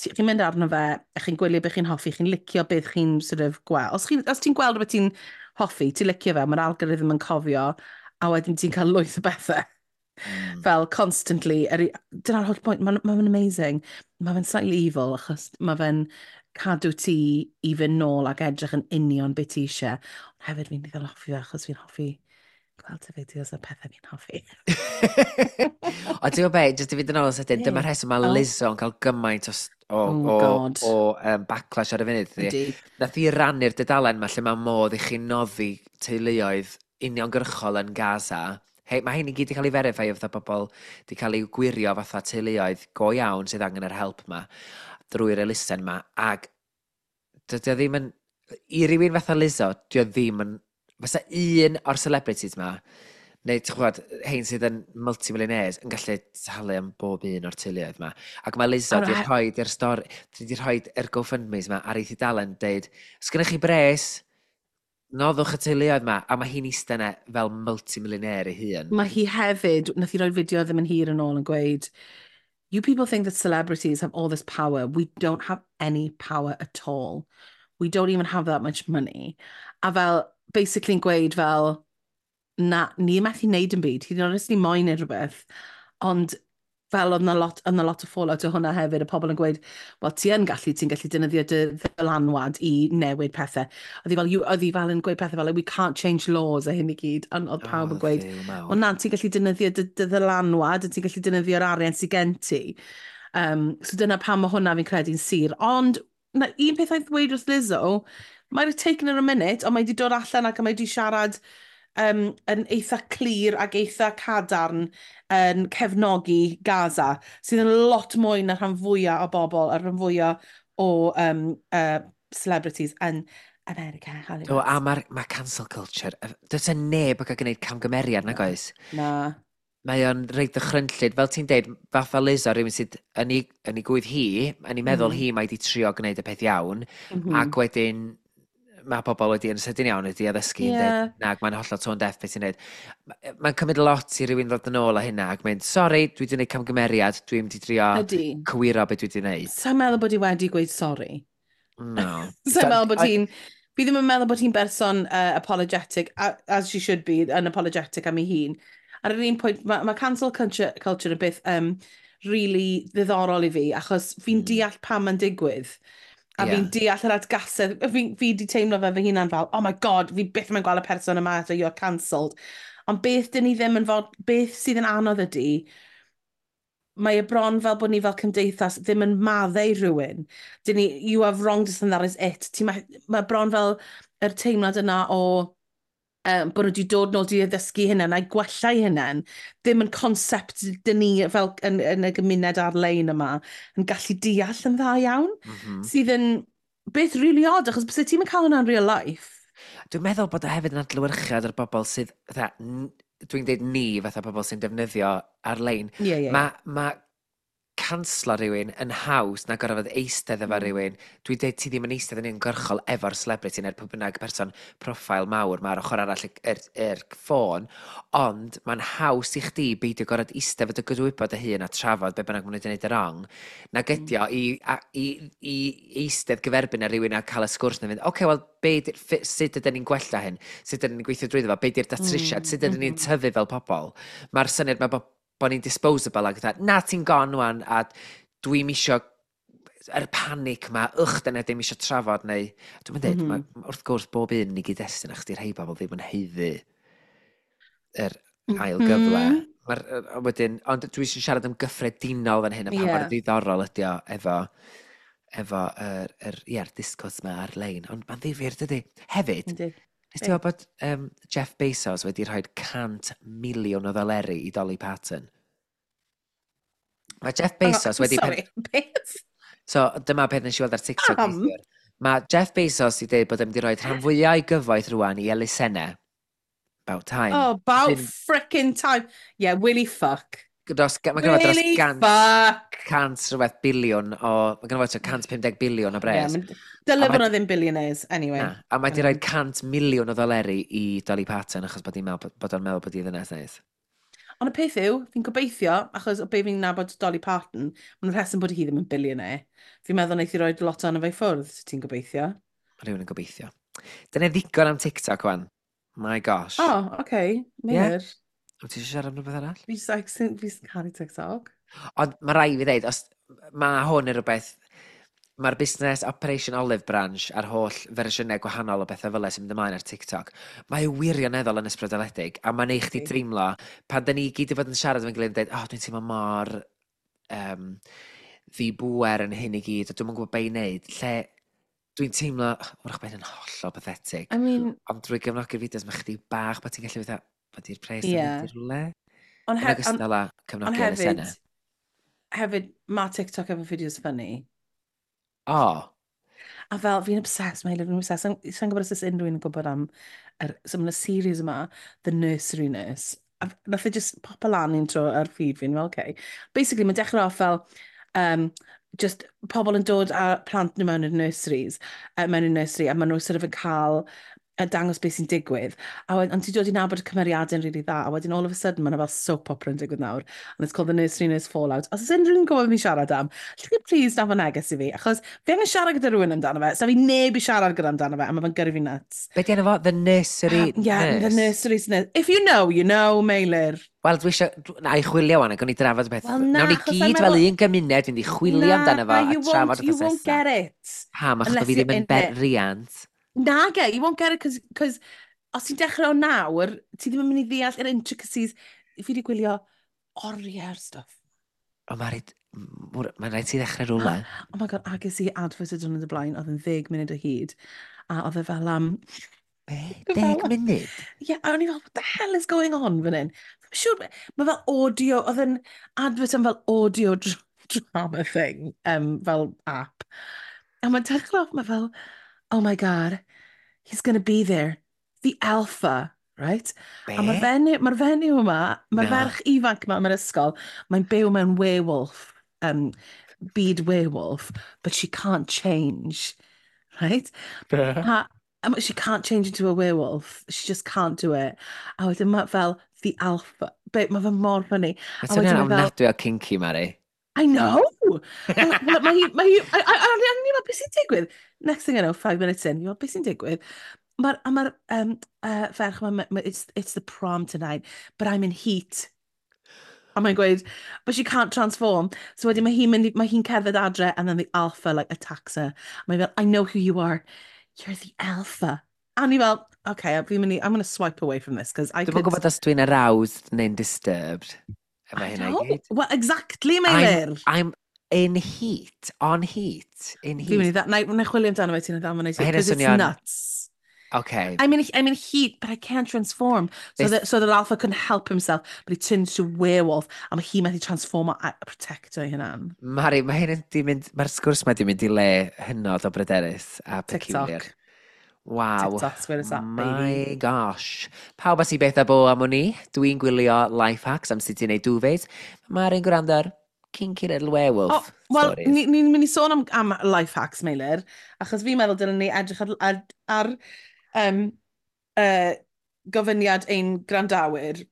Chi'n mynd arno fe, a chi'n gwylio beth chi'n hoffi, chi'n licio beth chi'n sort of gweld. Os ti'n gweld rhywbeth ti'n hoffi, ti'n licio fe, mae'r algorithm yn cofio, a wedyn ti'n cael lwyth o bethau. Fel constantly. Dyna'r holl pwynt, mae'n ma amazing. Mae fe'n slightly evil, achos mae fe'n cadw ti i fynd nôl ac edrych yn union beth ti eisiau. Ond hefyd fi'n eitha hoffi fe, achos fi'n hoffi gweld y fideos a pethau fi'n hoffi. Ond ti'n gwybod be, jyst i fynd yn ôl yn sydyn, dyma'r rheswm mae Lizzo yn cael gymaint o, Oh God. o backlash ar y funud, ydi. Ydy. Nath i rannu'r dudalen ma lle mae modd i chi noddi teuluoedd uniongyrchol yn Gaza. Hei, mae hyn i gyd wedi cael ei verify o fatha bobl wedi cael ei gwirio fatha teuluoedd go iawn sydd angen yr help ma drwy'r elusen ma. Ac dydy o ddim yn... I rywun fatha Lizzo, dydy o ddim yn... Fysa un o'r celebrities ma, neu ti'n gwybod, hein sydd yn multimillionaires, yn gallu talu am bob un o'r teuluoedd ma. Ac mae Lizzo wedi rhoi i'r stori, wedi rhoi yr GoFundMes ma ar ei thudalen, deud, "Os gennych chi bres, noddwch y teuluoedd ma," a mae hi'n eistedd yna fel multimillionaire ei hun. Mae hi hefyd, nath hi roi fideo ddim yn hir yn ôl yn gweud, "You people think that celebrities have all this power. We don't have any power at all. We don't even have that much money." A fel, basically yn gweud fel, na, ni methu wneud yn byd. Hyd yn oed os ni moyn neud rhywbeth. Ond fel oedd 'na lot o fallout o hwnna hefyd, y pobl yn gweud, "Wel, ti yn gallu, ti'n gallu defnyddio dy ddylanwad i newid pethau." Oedd hi fel yn gweud pethau fel, "We can't change laws" a hyn i gyd. Ond oedd pawb yn gweud, Dduw mawr. "Wel na, ti'n gallu defnyddio dy ddylanwad, a ti'n gallu defnyddio'r arian sydd gen ti." So dyna pam mae hwnna fi'n credu'n sur. Ond na, un peth oedd ddweud wrth Lizzo, might have taken her a minute, ond mae wedi dod allan ac mae wedi siarad yn eitha clir ac eitha cadarn yn cefnogi Gaza, sydd yn lot mwy na rhan fwyaf o bobl a rhan fwyaf o celebrities yn America, Hollywood. O, a mae'r ma cancel culture, does 'na neb yn cael gwneud camgymeriad, nag oes? Na. Mae o'n reit ddychrynllyd, fel ti'n deud, fatha Lizzo, rhywun sydd yn ei gwydd hi, yn ei meddwl hi mae wedi trio gwneud y peth iawn, ac wedyn mae pobl wedi yn sydyn iawn wedi addysgu yn dweud, na, mae'n hollol tone deaf beth ti'n neud. Mae'n cymryd lot i rywun ddod yn ôl â hynna ac mynd, "Sori, dwi wedi gwneud camgymeriad, dwi'n mynd i drio cywiro beth dwi wedi gwneud." Sa'n meddwl bod hi wedi gweud sori. No. Sa'n meddwl bod hi'n... Fi ddim yn meddwl bod hi'n berson apologetic, as she should be, yn apologetic am ei hun. Ar yr un pwynt, mae cancel culture yn beth really ddiddorol i fi, achos fi'n deall pam mae'n digwydd. A fi'n deall yr atgasedd. Fi di teimlo fe fy hunan fel, "Oh my God, fi byth yn gweld y person yma eto, you're cancelled." Ond beth dyn ni ddim yn fod, beth sydd yn anodd ydy, mae e bron fel bod ni fel cymdeithas ddim yn maddau rhywun. Dyn ni, "You have wronged us and that is it." Mae bron fel yr teimlad yna o, Bod nhw wedi dod nôl di addysgu hynna a'i gwella eu hunain, ddim yn concept dyn ni fel yn y gymuned ar-lein yma yn gallu deall yn dda iawn, sydd yn beth really odd, achos bys ti'n cael hwnna in real life. Dwi'n meddwl bod o hefyd yn adlewyrchiad o'r bobl sydd, fatha, dwi'n dweud ni, fatha pobl sy'n defnyddio ar-lein. Mae canslo rhywun yn haws na gorfod eistedd efo rhywun. Dwi'n dweud ti ddim yn eistedd yn uniongyrchol efo'r celebrity neu'r pwy bynnag person profile mawr mae'r ochr arall yr ffôn, ond mae'n haws i chdi beidio gorfod eistedd efo dy gydwybod dy hun a trafod be bynnag maen nhw wedi gwneud y wrong, nag ydi o i eistedd gyferbyn â rhywun a cael y sgwrs na fynd, "Oce, okay, wel, sut ydyn ni'n gwella hyn? Sut ydyn ni'n gweithio drwyddo fo? Be di'r datrysiad? Sut ydyn ni'n tyfu fel pobl?" Mae'r syniad mae bod ni'n disposable ac fatha, "Na, ti'n gone wan, a dwi'n isio yr panic ma, ych, dyna ddim isio trafod," neu dwi'n mynd dweud, wrth gwrs bob un i gyd-destun, achos di rhai bobl ddim yn haeddu yr ail gyfle. Mae'r, wedyn, ond dwi eisiau siarad am gyffredinol fan hyn, a pa mor ddiddorol ydi o efo yr discourse ma ar-lein. Ond mae'n ddifyr, dydy? Hefyd, nes ti weld bod Jeff Bezos wedi rhoi 100 miliwn o ddoleri i Dolly Parton? Mae Jeff Bezos wedi Sorry, beth? So, dyma peth nes i weld ar TikTok Pam? neithiwr. Mae Jeff Bezos wedi dweud bod e'n mynd i roi rhan fwyaf o'i gyfoeth rwan i elusennau. About time. Oh, about frickin' time. Yeah, Willy fuck. Mae gynno fo dros Willy 100, fuck. 100 rhywbeth biliwn o. Mae gynno fo tua 150 biliwn o bres. Yeah, dyle A bod nhw ddim billionaires, anyway. Na, a mae di rhoi 100 miliwn o ddoleri i Dolly Parton achos bod hi'n meddwl bod o'n meddwl bod hi ddynes neis. Ond y peth yw, fi'n gobeithio, achos o be fi'n nabod Dolly Parton, mae'n rheswm bod hi ddim yn billionaire. Fi'n meddwl wneith hi roi lot ono fe i ffwrdd, so ti'n gobeithio. Mae rhywun yn gobeithio. Dyna ddigon am TikTok wan. My gosh. Oh, okay. Meilir. Wyt ti eisiau siarad am rhywbeth arall? Fi just, like, fi just caru TikTok. Ond mae rai fi ddeud, os mae hwn yn rhywbeth, mae'r busnes Operation Olive Branch a'r holl fersiynau gwahanol o bethau fel 'na sy'n mynd ymlaen ar TikTok, mae wirioneddol yn ysbrydoledig, a mae'n neud chdi teimlo, pan da ni gyd i fod yn siarad efo'n gilydd yn dweud, "Oh, dwi'n teimlo mor ddibŵer yn hyn i gyd, a dwi'm yn gwybod be i wneud," lle dwi'n teimlo, wrach bod hyn yn hollol pathetic, I mean, ond drwy gefnogi'r fideos mae chdi bach bod ti'n gallu fatha, bod i'r pres yn mynd i rhywle. Ond, Yn he ond, ogystal â ond cefnogi hefyd, elusennau. hefyd, mae TikTok efo fideos funny. O, A fel, fi'n obsessed, mae fi'n obsessed. Sa'n gwybod os oes unrhyw un yn gwybod am, so mae'n y series yma, The Nursery Nurse. A nath e just pop lan un tro ar feed fi'n fel, okay. Basically, mae'n dechrau off fel, just pobl yn dod â plant nhw mewn i'r nurseries, mewn i'r nursery, a maen nhw sort of yn cael dangos beth sy'n digwydd. A wedyn, ond ti'n dod i nabod y cymeriadau'n really dda, a wedyn all of a sudden mae'n fel soap opera yn digwydd nawr, and it's called The Nursery Nurse Fallout. Os oes unrhyw un yn gwybod fi'n siarad am, allwch chi please danfon neges i fi, achos fi angen siarad gyda rhywun amdano fe, so fi neb i siarad gyda amdano fe, a mae fe'n gyrru fi nuts. Be di enw fo? The Nursery Yeah, Nurse? The Nursery Nurse. If you know, you know, Meilir. Wel, dwi eisiau... Na i chwilio wan, ac o'n i drafod y peth. Wel, na, Nawn ni achos gyd I'm fel un gymuned fynd i chwilio amdano fo Na, a you trafod won't, you y won't get it. Pam, achos bod unless fi ddim you're yn in it. riant. Nage, you won't get it, cos os ti'n dechrau o nawr, ti ddim yn mynd i ddeall yr intricacies. Fi wedi gwylio oriau'r stuff. O, mae'n rhaid... Mae'n rhaid ti ddechrau rhywle. Oh my God, ges i advert y diwrnod y blaen, oedd yn 10 munud o hyd. A oedd e fel am Be? 10 munud? Yeah, a o'n i fel, "What the hell is going on fan hyn?" Fi'n siŵr, mae fel audio, oedd yn advert am fel audio drama thing, fel app. A mae'n dechrau off, mae fel, "Oh my God, he's gonna be there, the alpha," right? Be? A mae'r fenyw, mae'r fenyw yma, mae'r Na. ferch ifanc yma mewn ysgol, mae'n byw mewn werewolf, byd werewolf, but she can't change, right? Be? A she can't change into a werewolf. She just can't do it. A wedyn mae fel the alpha. Be, mae fe mor funny. Mae'n A swnio'n wedyn mae fel, ofnadwy o kinky, Mari. I know! Wel, mae hi, a o'n i'n meddwl, "Beth sy'n digwydd?" Next thing I know, 5 minutes in, you're, "Beth sy'n digwydd?" A mae'r ferch yma, "It's the prom tonight, but I'm in heat." A mae'n gweud, but she can't transform. So wedyn mae hi'n cerdded adre, and then the alpha like attacks her. A mae'n fel, "I know who you are. You're the alpha." A ni fel, okay, fi'n mynd i, I'm going to swipe away from this, because I Dwi'n could. gwybod os dwi'n aroused neu'n disturbed. Efo I hynna i know. gyd. Well, exactly, Meilir. I'm in heat, on heat, in Fi'n mynd heat. i na i chwilio amdano fe, ti'n dda, Mae hynna'n because it's swnio'n nuts. Okay. I'm in heat, but I can't transform. So so that Alpha couldn't help himself, but he turned into a werewolf, a mae hi methu transform a protecto ei hunan. Mari, mae hyn yn di mynd, mae'r sgwrs mae di mynd i le hynod o bryderus a peculiar. TikTok. Waw. TikTok's where it's at, My baby. gosh. Pawb a si beth a bo am wn i. Dwi'n gwylio life hacks am sut i wneud duvets. Mari'n gwrando ar kinky little werewolf Oh, wel, stories. Ni'n mynd i sôn am life hacks, Meilir, achos fi'n meddwl dylen ni edrych ar gofyniad ein grandawyr.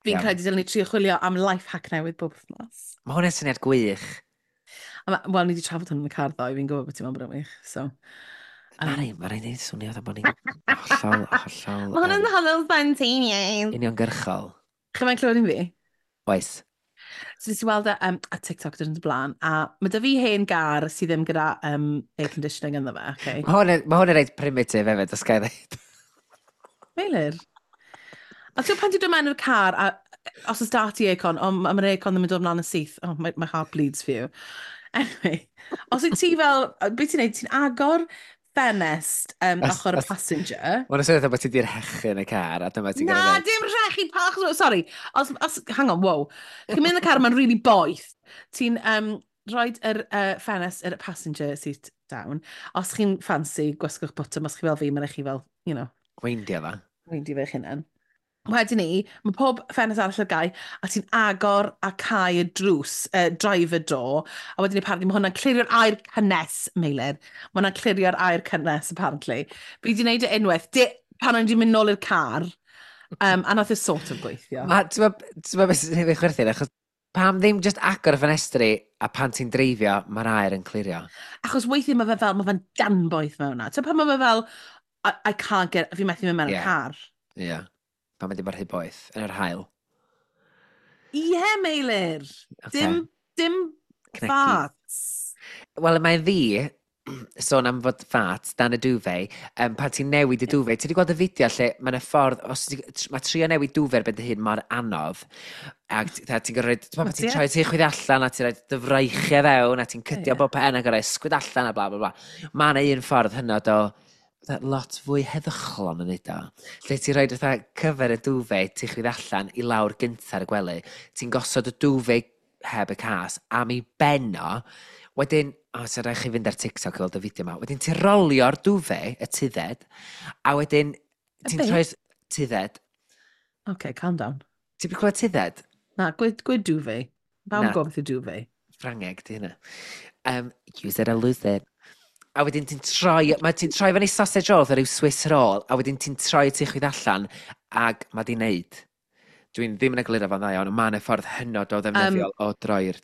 Fi'n credu dylen ni trio chwilio am life hack newydd bob wythnos. Mae hwnna'n syniad gwych. Wel, ni wedi trafod hwn yn y car ddoe, fi'n gwybod bod ti'n meddwl bod o'n wych, so. Mari, mae'n rhaid i swnio fatha bod ni'n hollol, hollol Mae hwnna'n hollol spontaneous. uniongyrchol. Chi mae'n clywed un fi? Oes. So nes i weld e a TikTok dyn y blaen, a mae 'da fi hen gar sydd ddim gyda air conditioning ynddo fe, okay? Mae hwn yn reit primitive hefyd, os ga i ddweud. Meilir. A ti'n pan ti'n dod mewn i'r car, a os oes 'da ti aircon, oh, mae'r aircon ddim yn dod mlaen yn syth. Oh, my heart bleeds for you. Anyway, os wyt ti fel, beth ti'n neud, ti'n agor ffenest ochr y passenger. Mae'n swnio bod ti di'r rhechu yn y car, a dyma ti'n Na, gorfod dweud. Dim rhechu pach. Sorry. Os, hang on, wow. Ti'n mynd yn y car, mae'n really boeth. Ti'n rhoi yr ffenest yr passenger seat down. Os chi'n fancy, gwasgwch botwm. Os chi fel fi, mae'n chi fel, Weindio fa. weindio fe'ch hunan. Wedyn ni, mae pob ffenest arall ar gau, a ti'n agor a cau y drws, driver door, a wedyn ni apparently mae hwnna'n clirio'r aer cynnes, Meilir. Mae hwnna'n clirio'r aer cynnes, apparently. Fi wedi gwneud e unwaith, pan o'n i wedi mynd nôl i'r car, a nath e sort of gweithio. Ti'n gwbod beth sy'n ei chwerthin, achos pam ddim just agor y ffenestri a pan ti'n dreifio, mae'r aer yn clirio? Achos weithiau mae fe fel, mae fe'n danboeth mewn na. Ti'n pan mae fe fel, I can't get, fi methu mynd mewn y car. Ie. Yeah. Pan mae di bod rhy boeth, yn yr haul. Ie, yeah, Meilir. Okay. Dim Cnecu. farts. Wel, mae'n ddi, sôn am fod fat, dan y duvet, pan ti'n newid y duvet, ti wedi gweld y fideo lle mae'n y ffordd, os mae trio newid duvet ar ben dy hun mor anodd, ac ti'n gorfod, ti'n Wyt ti'n ti? troi ti chwith allan, a ti'n rhoi dy freichiau fewn, a ti'n cydio bob pen ac gorfod ysgwyd allan a bla bla bla. Mae yna un ffordd hynod o fatha lot fwy heddychlon yn neud o. Lle ti'n rhoi fatha cyfer y duvet, ti'n chwith allan i lawr gynta ar y gwely, ti'n gosod y duvet heb y cas am ei ben o, wedyn, o, oh, rhaid chi fynd ar TikTok i weld y fideo yma, wedyn ti'n rolio'r duvet, y tudded, a wedyn Y ti'n be? troi tudded. Okay, calm down. Ti'n clywed tudded? Na, gwed duvet. Pawb Na. yn gwybod beth yw duvet. Ffrangeg, di hynna. Use it or lose it. A wedyn ti'n troi, mae ti'n troi fyny sausage roll, fatha rhyw Swiss roll, a wedyn ti'n troi ti chwith allan, ag mae di wneud. Dwi'n ddim yn egluro fo'n dda iawn, ond mae yna ffordd hynod o ddefnyddiol o droi'r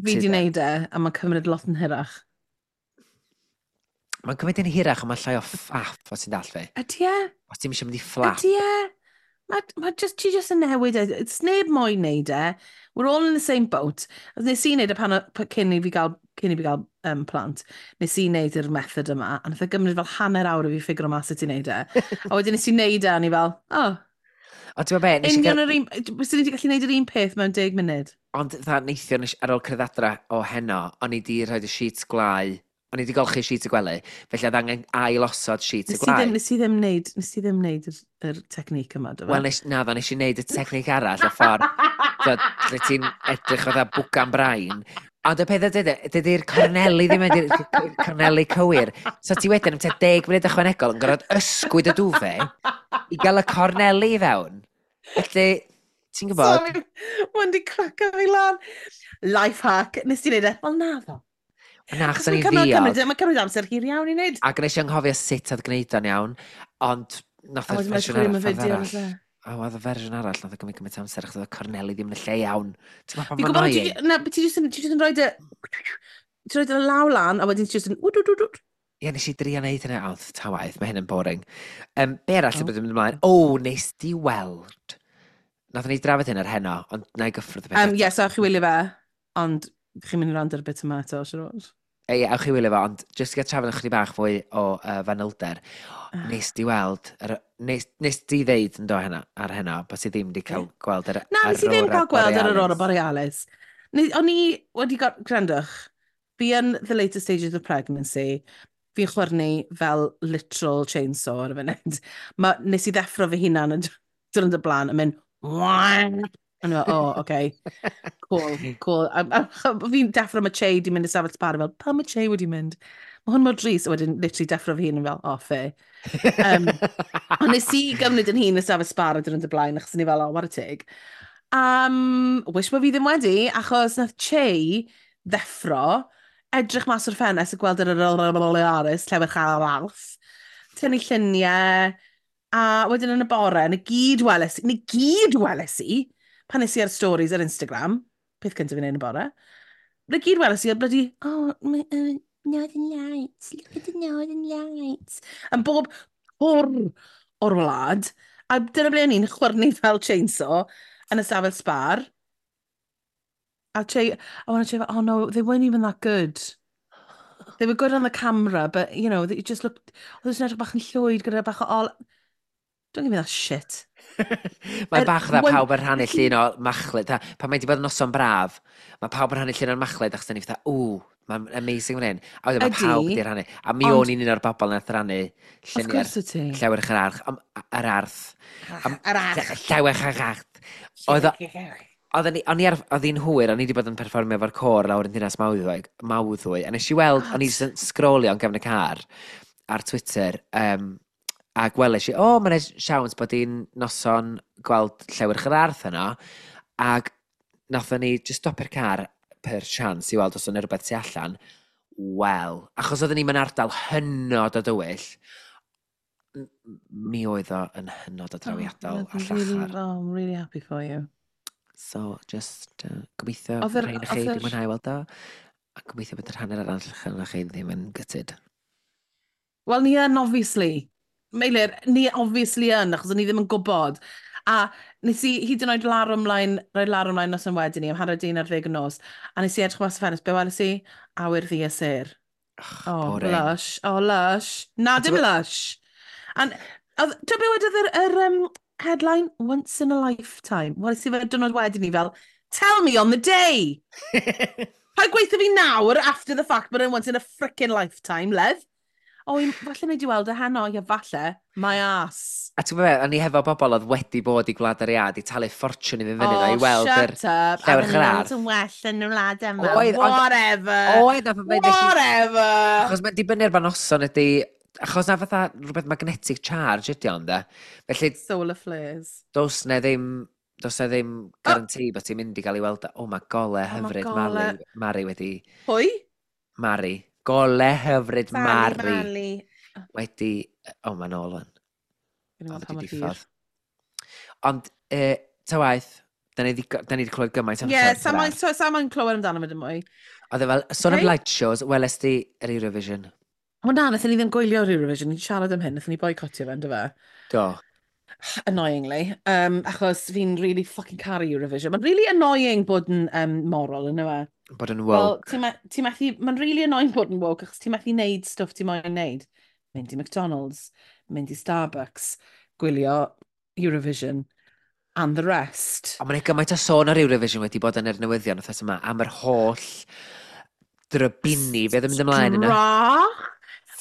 Fi di tudded. wneud e, a mae'n cymryd lot yn hirach. Mae'n cymryd yn hirach, ond mae'n llai o ffaff, os ti'n dall fi. Ydy e? Os ti'n eisiau mynd i fflap. Ydy e? Mae just, ti just yn newid e. It's neb moyn neud e. We're all in the same boat. A nes i wneud e pan, cyn i fi gael plant, nes i wneud yr method yma, a nath e gymryd fel hanner awr i fi ffigur o mas sut i wneud e. A wedyn nes i wneud e, a ni fel, oh, Ond ti'n gwybod be, nes i union gael yr un, byswn ni wedi gallu wneud yr un peth mewn 10 munud. Ond dda neithiwr nes, ar ôl cyrraedd adra o heno, o'n i di rhoi y sheets gwlau, o'n i di golchi sheets y gwely, felly oedd angen ail osod sheets y Nes i gwlau. ddim, nes i ddim wneud, nes i ddim wneud yr technique yma, do fe? Wel, nes, na, ddo, nes i wneud y technique arall, y ffordd, t'od, lle ti'n edrych fatha bwgan brain. Ond y peth ydy, dydy'r corneli ddim yn i'r corneli cywir. So ti wedyn am tua 10 munud ychwanegol yn gorfod ysgwyd y duvet i gael y corneli i fewn. Felly, ti'n gwybod? Sorry, mae'n di craco fi lan. Life hack, nes ti wneud e? Wel, na ddo. Na, achos Achos o'n mae'n i'n cymryd, ddiog. mae'n cymryd amser hir iawn i wneud. Ac nes i anghofio sut oedd gwneud o'n iawn, ond nath A y wedyn mae'n fersiwn chwilio am arall, y ffordd fideo. arall. Oes e? O, oedd y fersiwn arall, nath o gymryd gymaint o amser, achos oedd y corneli ddim yn y lle iawn. Ti'n gwybod pa Fi'n mor gwybod, annoying? na, ti jyst yn, ti jyst yn rhoi dy... Ti'n rhoi dy law lan, a wedyn ti jyst yn wd, wd, wd, wd. Ie, nes i drio wneud hynny, ond ta waith, mae hyn yn boring. Be arall sy'n Oh. bod yn mynd ymlaen? O, nes di weld. Nathon ni drafod hyn ar heno, ond na i gyffwrdd y peth eto. Ie, so ewch chi wylio fe, ond chi'n mynd i wrando ar y bit yma eto, siwr o fod. Ie, ewch chi wylio fo, ond jyst i gael trafod ychydig bach fwy o fanylder. Ah. Nes di weld, nes di ddeud yn do heno, ar heno, bod ti ddim wedi cael gweld yr Na, nes i ddim Aurora cael gweld yr Aurora Borealis. Borealis. O'n i wedi gwrandwch, fi yn the later stages of pregnancy. Fi'n chwyrnu fel literal chainsaw ar y funud. Nes i ddeffro fy hunan yn dyn y blaen yn mynd, "Wah!" A ni'n fel, "Oh, okay. Cool." A fi'n deffro, mae Che di mynd i safell sbar, fel, "Pam mae Che wedi mynd? Mae hwn mor drist," a wedyn literally deffro fy hun yn fel, "Oh, fair." Ond nes i gymryd yn hun y safell sbar y dyn y blaen, achos ni fel, "Oh, what a tig." Wish bod fi ddim wedi, achos nath Che ddeffro, edrych mas o'r ffenest a gweld yr Aris, llewyrch ar arth, tynnu lluniau, a wedyn yn y bore, na gyd weles i, pan nes i ar stories ar Instagram, peth cyntaf fi'n neud yn y bore, na gyd weles i ar bloody, "Oh, my, Northern Lights, look at the Northern Lights." Yn bob cwr o'r wlad, a dyna ble o'n i'n chwyrnu fel chainsaw yn y stafell sbar. A Che, a wedyn Che fel, "Oh no, they weren't even that good. They were good on the camera, but, they just looked, oedd nhw'n edrych bach yn llwyd gyda bach o ol." Don't give me that shit. Mae bach dda pawb yn rhannu llun o machlud. Pan mae wedi bod yn noson braf, mae pawb yn rhannu llun o'r machlud achos da ni fatha, "Ww, mae'n amazing fan hyn." A wedyn mae pawb wedi rhannu. A mi o'n i'n un o'r bobl nath rannu Of lluniau'r course wyt ti. llewyrch yr arch. Yr arth. Yr arch. Llewyrch yr arth. Oedden ni, o'n i ar, oedd hi'n hwyr, o'n i wedi bod yn perfformio efo'r côr lawr yn Dinas Mawddwy, a nes i weld, o'n i jyst yn sgrolio yn gefn y car ar Twitter, a gweles i, o, mae'n siawns bod hi'n noson gweld llewyrch yr arth yno, ac nathon ni just stopio'r car per chance i weld os o'n rhywbeth tu allan. Wel, achos oedden ni mewn ardal hynod o dywyll, mi oedd o yn hynod o drawiadol a Oh, really, llachar. oh, I'm really happy for you. So, just gobeithio rhain chi wedi mwynhau weld o. A gobeithio bod yr hanner arall allan chi ddim yn gutted. Wel, ni yn, obviously. Meilir, ni obviously yn, achos o'n i ddim yn gwybod. A nes i hyd yn oed larwm ymlaen, rhoi larwm ymlaen nos yn wedyn ni, am 11:30 y nos, a nes i edrych mas y ffenest, be weles i? Awyr ddu a sêr. Oh, Boring. Lush. Oh, lush. Na, A dim lush. And, ti'n be wedodd yr headline? "Once in a lifetime." Weles i fe diwrnod wedyn ni fel, "Tell me on the day." Paid gweithio fi nawr, after the fact, but once in a frickin' lifetime, love. O, falle nei di weld e heno, ie falle. My ass. A ti'n gwybod be, o'n i hefo bobl oedd wedi bod i Gwlad yr Iâ, di talu ffortiwn i fynd fyny oh, i weld yr Shut up. llewyrch yr arth. Yn well yn y wlad yma. Oedd, Whatever. Oedd, nath o ddeud Whatever. Achos mae'n dibynnu ar ba noson ydy. Achos na fatha rhywbeth magnetic charge ydy ond, de. Felly, Solar flares. does na ddim guarantee bod ti'n mynd i gael ei weld. O, mae gole Oh, ma' hyfryd gole. Mari wedi. Pwy? Mari. Gole hyfryd Sally Mari. Mali. Wedi. O, mae'n ôl wan. Gwni Oedd weld pa wedi mor hir. diffodd. Ond, ta waeth, da ni 'di clywed gymaint am Ie, llewyrch sa yr moyn arth. so, moyn clywed amdano fe dim mwy. Oedd e fel, sôn am light shows, weles di yr Eurovision? Wel na, wnaethon ni ddim gwylio'r Eurovision, ni'n siarad am hyn, wnaethon ni boicotio fe, ynddo fe? Do. Annoyingly. Achos fi'n really fucking caru Eurovision. Mae'n really annoying bod yn moral, ynddo fe? Bod yn Wel, woke. ti methu, mae'n really annoying bod yn woke, achos ti methu neud stwff ti moyn neud. Mynd i McDonald's, mynd i Starbucks, gwylio Eurovision, and the rest. Ond mae'n gymaint o sôn ar Eurovision wedi bod yn yr newyddion wythnos yma am yr holl drybini, fe oedd yn mynd ymlaen yna. Strach!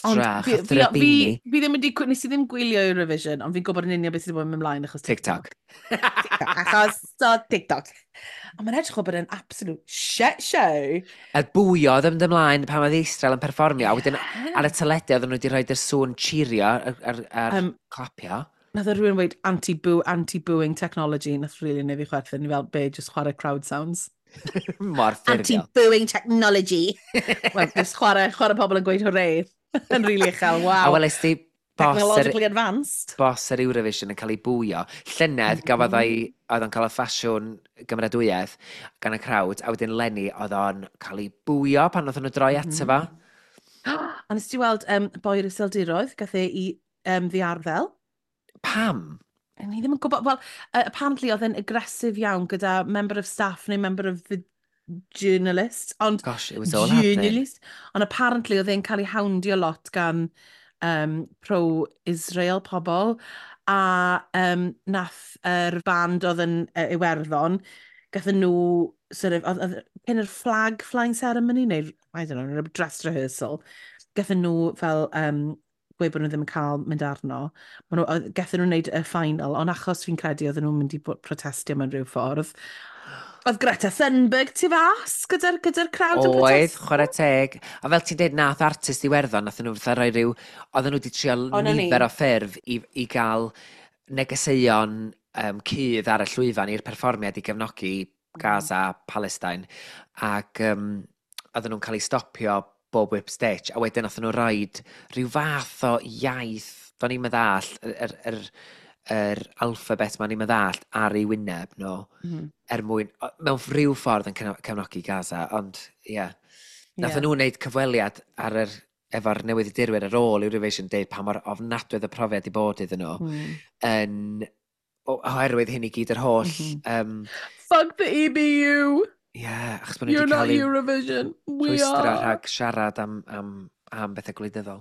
Ond Strach, fi, a fi, fi, drybini. fi ddim wedi, nes i ddim gwylio Eurovision, ond fi'n gwybod yn union beth sydd wedi bod yn mynd ymlaen achos TikTok. TikTok. Achos so TikTok. Ond mae'n edrych o bod yn absolute shit show. Y bwio oedd yn mynd ymlaen pan oedd Israel yn perfformio, a wedyn ar y teledu oedden nhw wedi rhoi yr sŵn cheerio ar clapio. Nath o rhywun weud anti-booing technology, nath really neud fi chwerthin, ni fel, be, just chwarae crowd sounds. Mor ffurfiol. Anti-booing technology. Wel, just chwarae pobl yn gweud hooray. Yn really uchel, A wow. weles di boss yr, Technologically advanced. boss yr Eurovision yn cael ei bwio. Llynedd gafodd o'i, oedd o'n cael y ffasiwn gymeradwyaeth gan y crowd, a wedyn leni oedd o'n cael ei bwio pan oedd nhw droi ato fo. A nes ti weld boi'r Iseldiroedd, gath e i ddiarddel. Pam? Ni ddim yn gwybod, wel, apparently oedd e'n aggressive iawn gyda member of staff neu member of the journalist, ond Gosh, it was all happening. journalist, ond apparently oedd e'n cael ei houndio lot gan pro-Israel pobl, a nath yr band oedd yn Iwerddon, gathon nhw, sort of, oedd cyn yr flag flying ceremony, neu, I don't know, dress rehearsal, Gathon nhw fel gweud bod nhw ddim yn cael mynd arno. Gathon nhw wneud y final, ond achos fi'n credu oedden nhw'n mynd i protestio mewn rhyw ffordd. Oedd Greta Thunberg tu fas gyda'r crowd yn Oedd, protestio. Chwarae teg. A fel ti'n dweud, nath artist Iwerddon, nath nhw fatha rhoi rhyw... Oedden nhw wedi trio O, 'na ni. nifer o ffyrdd i gael negeseuon cudd ar y llwyfan i'r perfformiad i gefnogi Gaza, Palestine. Ac oedden nhw'n cael eu stopio bob whip stitch. A wedyn nath nhw roed rhyw fath o iaith, do'n i'm yn ddallt, yr alphabet ma'n i'm yn ddallt ar ei wyneb nhw er mwyn, mewn rhyw ffordd yn cefnogi Gaza, ond ie. Yeah. Nath nhw wneud cyfweliad efo'r newyddiadurwyr ar ôl Eurovision, deud pa mor ofnadwy oedd y profiad i bod iddyn nhw, oherwydd hyn i gyd, yr holl Fuck the EBU! Ie, yeah, achos bod nhw You're wedi not cael eu Eurovision. We rhwystro are. rhag siarad am bethau gwleidyddol.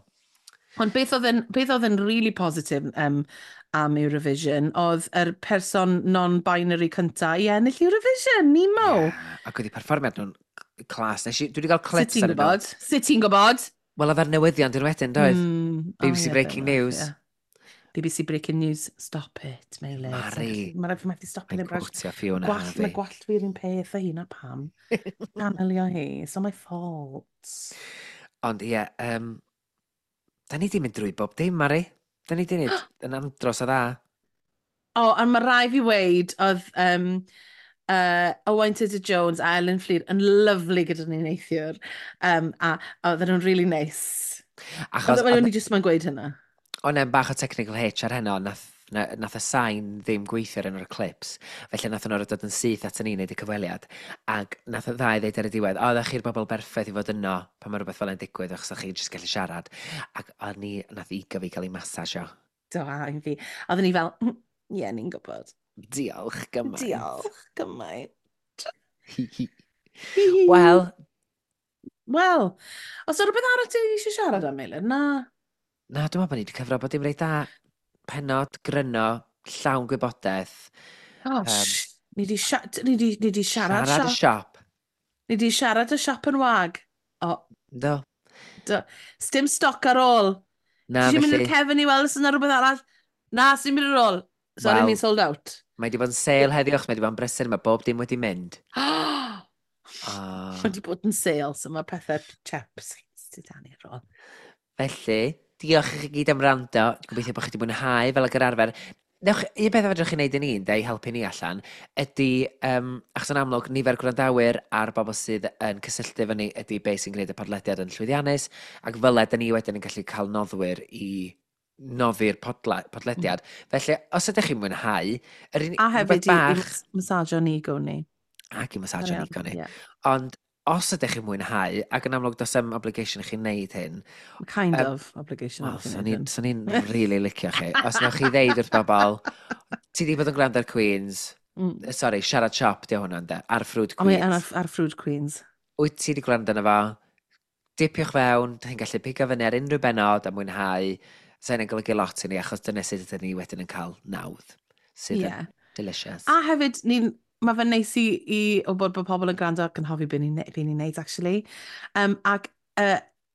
Ond beth oedd yn really positif am Eurovision oedd yr person non-binary cynta i ennill Eurovision, Nemo. Yeah, ac oedd eu perfformiad nhw'n class. Dwi wedi cael Sut clips ti'n ar nhw. gwybod? Sut ti'n gwybod? Wel, oedd ar newyddion dyn wedyn, doedd? BBC Oh, ie, Breaking fair enough, News. ie. BBC Breaking News. Stop it, Meilir. Mari. Mae rhaid fi methu stopio Mae'n ddim brush. quotio Fiona Gwallt, Harvey. mae gwallt fi'r un peth a hynna pam. Channelio hi. It's not my fault. Ond ie, da ni di mynd drwy bob dim, Mari. Da ni di wneud yn andros o dda. O, oh, a mae rai fi weid oedd Owain Tudur Jones a Ellen Fflur yn lyfli gyda ni neithiwr. A oedden nhw'n really nice. Achos Oedd o'n i jyst ma'n gweud hynna. O'n e'n bach o technical hitch ar heno, nath y sain ddim gweithio ar un o'r clips. Felly nath nhw'n dod yn syth at ni wneud y cyfweliad. Ac nath y ddau ddeud ar y diwedd, "O, ddech chi'r bobl berffaith i fod yno pan mae rhywbeth fel yna'n digwydd, achos o'ch chi jyst gallu siarad." Ac o'n ni, nath ego fi cael ei masajio. Do, a un fi. Oedden ni fel, "Ie, yeah, ni'n gwybod." Diolch gymaint. Diolch gymaint. Wel, Wel, os yna rhywbeth arall ti eisiau siarad am, Meilir? Na. Na, dwi'n meddwl bod ni wedi cyfro bod dim reit da. Penod, gryno, llawn gwybodaeth. Oh, ni di siarad, Siarad y siop. siop. Ni di siarad y siop yn wag. O, Do. do. Sdim stoc ar ôl. Na, Ti eisiau mynd felly, i'r cefn i weld os yna rhywbeth arall? Na, sy'n mynd ar ôl. Sorry, Wel, ni'n sold out. Mae wedi bod yn sale heddiw, achos mae wedi bod yn brysur, mae bob dim wedi mynd. Ah. Mae wedi bod yn sale, so mae pethau chaps sydd dan ar ôl. Felly, diolch i chi gyd am wrando. Gobeithio bod chi wedi mwynhau fel ag yr arfer. Newch, un peth fedrwch chi wneud i ni, ynde, i helpu ni allan, ydy, achos yn amlwg, nifer gwrandawyr a'r bobl sydd yn cysylltu efo ni ydy beth sy'n gwneud y podlediad yn llwyddiannus, ac fel da ni wedyn yn gallu cael noddwyr i noddi'r podlediad. Felly, os ydych chi'n mwynhau, yr unig A rhywbeth hefyd i bach masajo'n ego ni. Ac i masajo'n ego ni. Ie. Ond os ydych chi'n mwynhau, ac yn amlwg does 'im obligation i chi wneud hyn, Kind of obligation. Wel, i chi swn wneud i'n hyn. swn i'n really licio chi. Os newch chi ddeud wrth bobl, "Ti di bod yn gwrando ar Queens," sorry, Siarad Siop, di hwnna, ynde, ar Ffrwd O, mae Queens. ar Ffrwd Queens. Wyt ti di gwrando arno fo? Dipiwch fewn, dych chi'n gallu pigo fyny ar unrhyw benod a mwynhau. Sa hynny'n golygu lot i ni, achos dyna sut ydyn ni wedyn yn cael nawdd. Sydd yn delicious. A hefyd, mae fe'n neis i o bod pobl yn gwrando ac yn hoffi be ni'n be ni neud, actually. Ac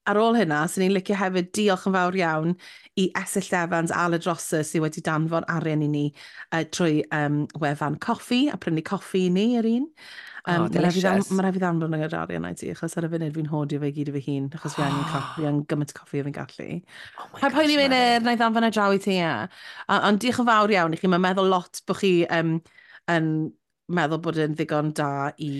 ar ôl hynna, sy'n ni'n licio hefyd diolch yn fawr iawn i Esyllt Evans a Aled Rosser sydd wedi danfon arian i ni trwy wefan Coffi a prynu coffi i ni yr un. Oh, delicious. Ma' raid fi ddanfon yr arian i ti, achos ar y funud fi'n hoardio fe i gyd i fy hun, achos fi angen coffi, fi angen gymaint o coffi o fi'n gallu. Oh my Paid poeni gosh, Meilir, Mari. na i ddanfon e draw i ti, ie. Ond diolch yn fawr iawn i chi, mae'n meddwl lot bod chi yn meddwl bod e'n ddigon da i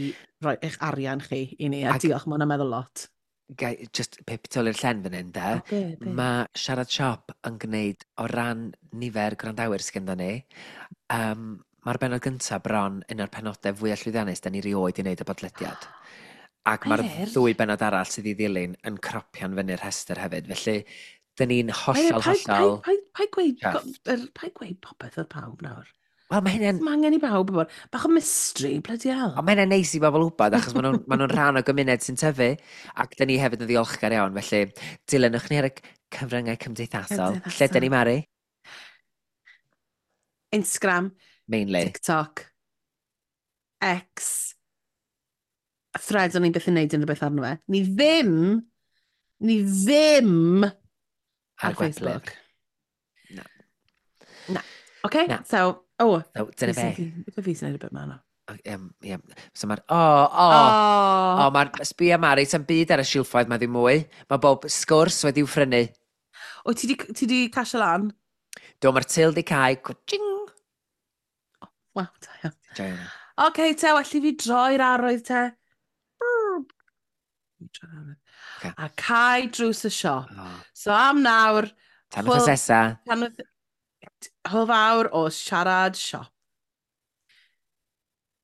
roi eich arian chi i ni, a diolch, mae hwnna'n meddwl lot. Gai, just pip tu ôl i'r llen fan hyn, de. O, be, be? Mae Siarad Siop yn gwneud o ran nifer gwrandawyr sydd gyda ni. Mae'r benod gyntaf bron un o'r penodau fwyaf llwyddiannus da ni rioed i wneud y podlediad. Ac mae'r Meilir? ddwy benod arall sydd i ddilyn yn cropian fyny'r rhestr hefyd. Felly, dyn ni'n Meilir, hollol, paid, hollol paid, paid, paid gweud, chuffed. paid gweud popeth wrth pawb nawr. Wel, mae hynny'n Mae angen i bawb bod. Bach o mystery, bloody hell. Ond mae hynny'n neis i bobl wybod, achos maen nhw'n rhan o gymuned sy'n tyfu, ac dyn ni hefyd yn ddiolchgar iawn. Felly, dilynwch ni ar y cyfryngau cymdeithasol. Lle dyn ni, Mari? Instagram, Mainly. TikTok, X, a Threads o'n i'n byth yn neud unrhyw beth arno fe. Ni ddim, Ni ddim ar ar Facebook. Na. Na. Okay, Na. So, oh, So, dyna fi be. Fi sy'n neud y bit ma na. Ie. So mae'r... O, o, Oh. o, mae'r... Sbia Mari, sa'n byd ar y silffoedd mae ddim mwy. Mae bob sgwrs wedi'w phrynu. O, ti di casio lan? Do, mae'r til di cau. Cwtching! Wel, da iawn. Joio hwnna. Oce, te, well i fi droi'r arwydd te. Brr. Fi droi'r arwydd. Ocê. A cau drws y siop. O. So am nawr, Tan wythnos nesa. Tan hwyl fawr o siarad siop.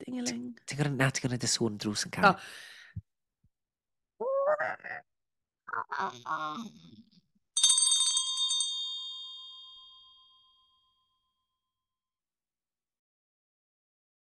Ding-a-ling. Ti'n gwrando, na, ti'n gwrando y sŵn drws yn cau. O.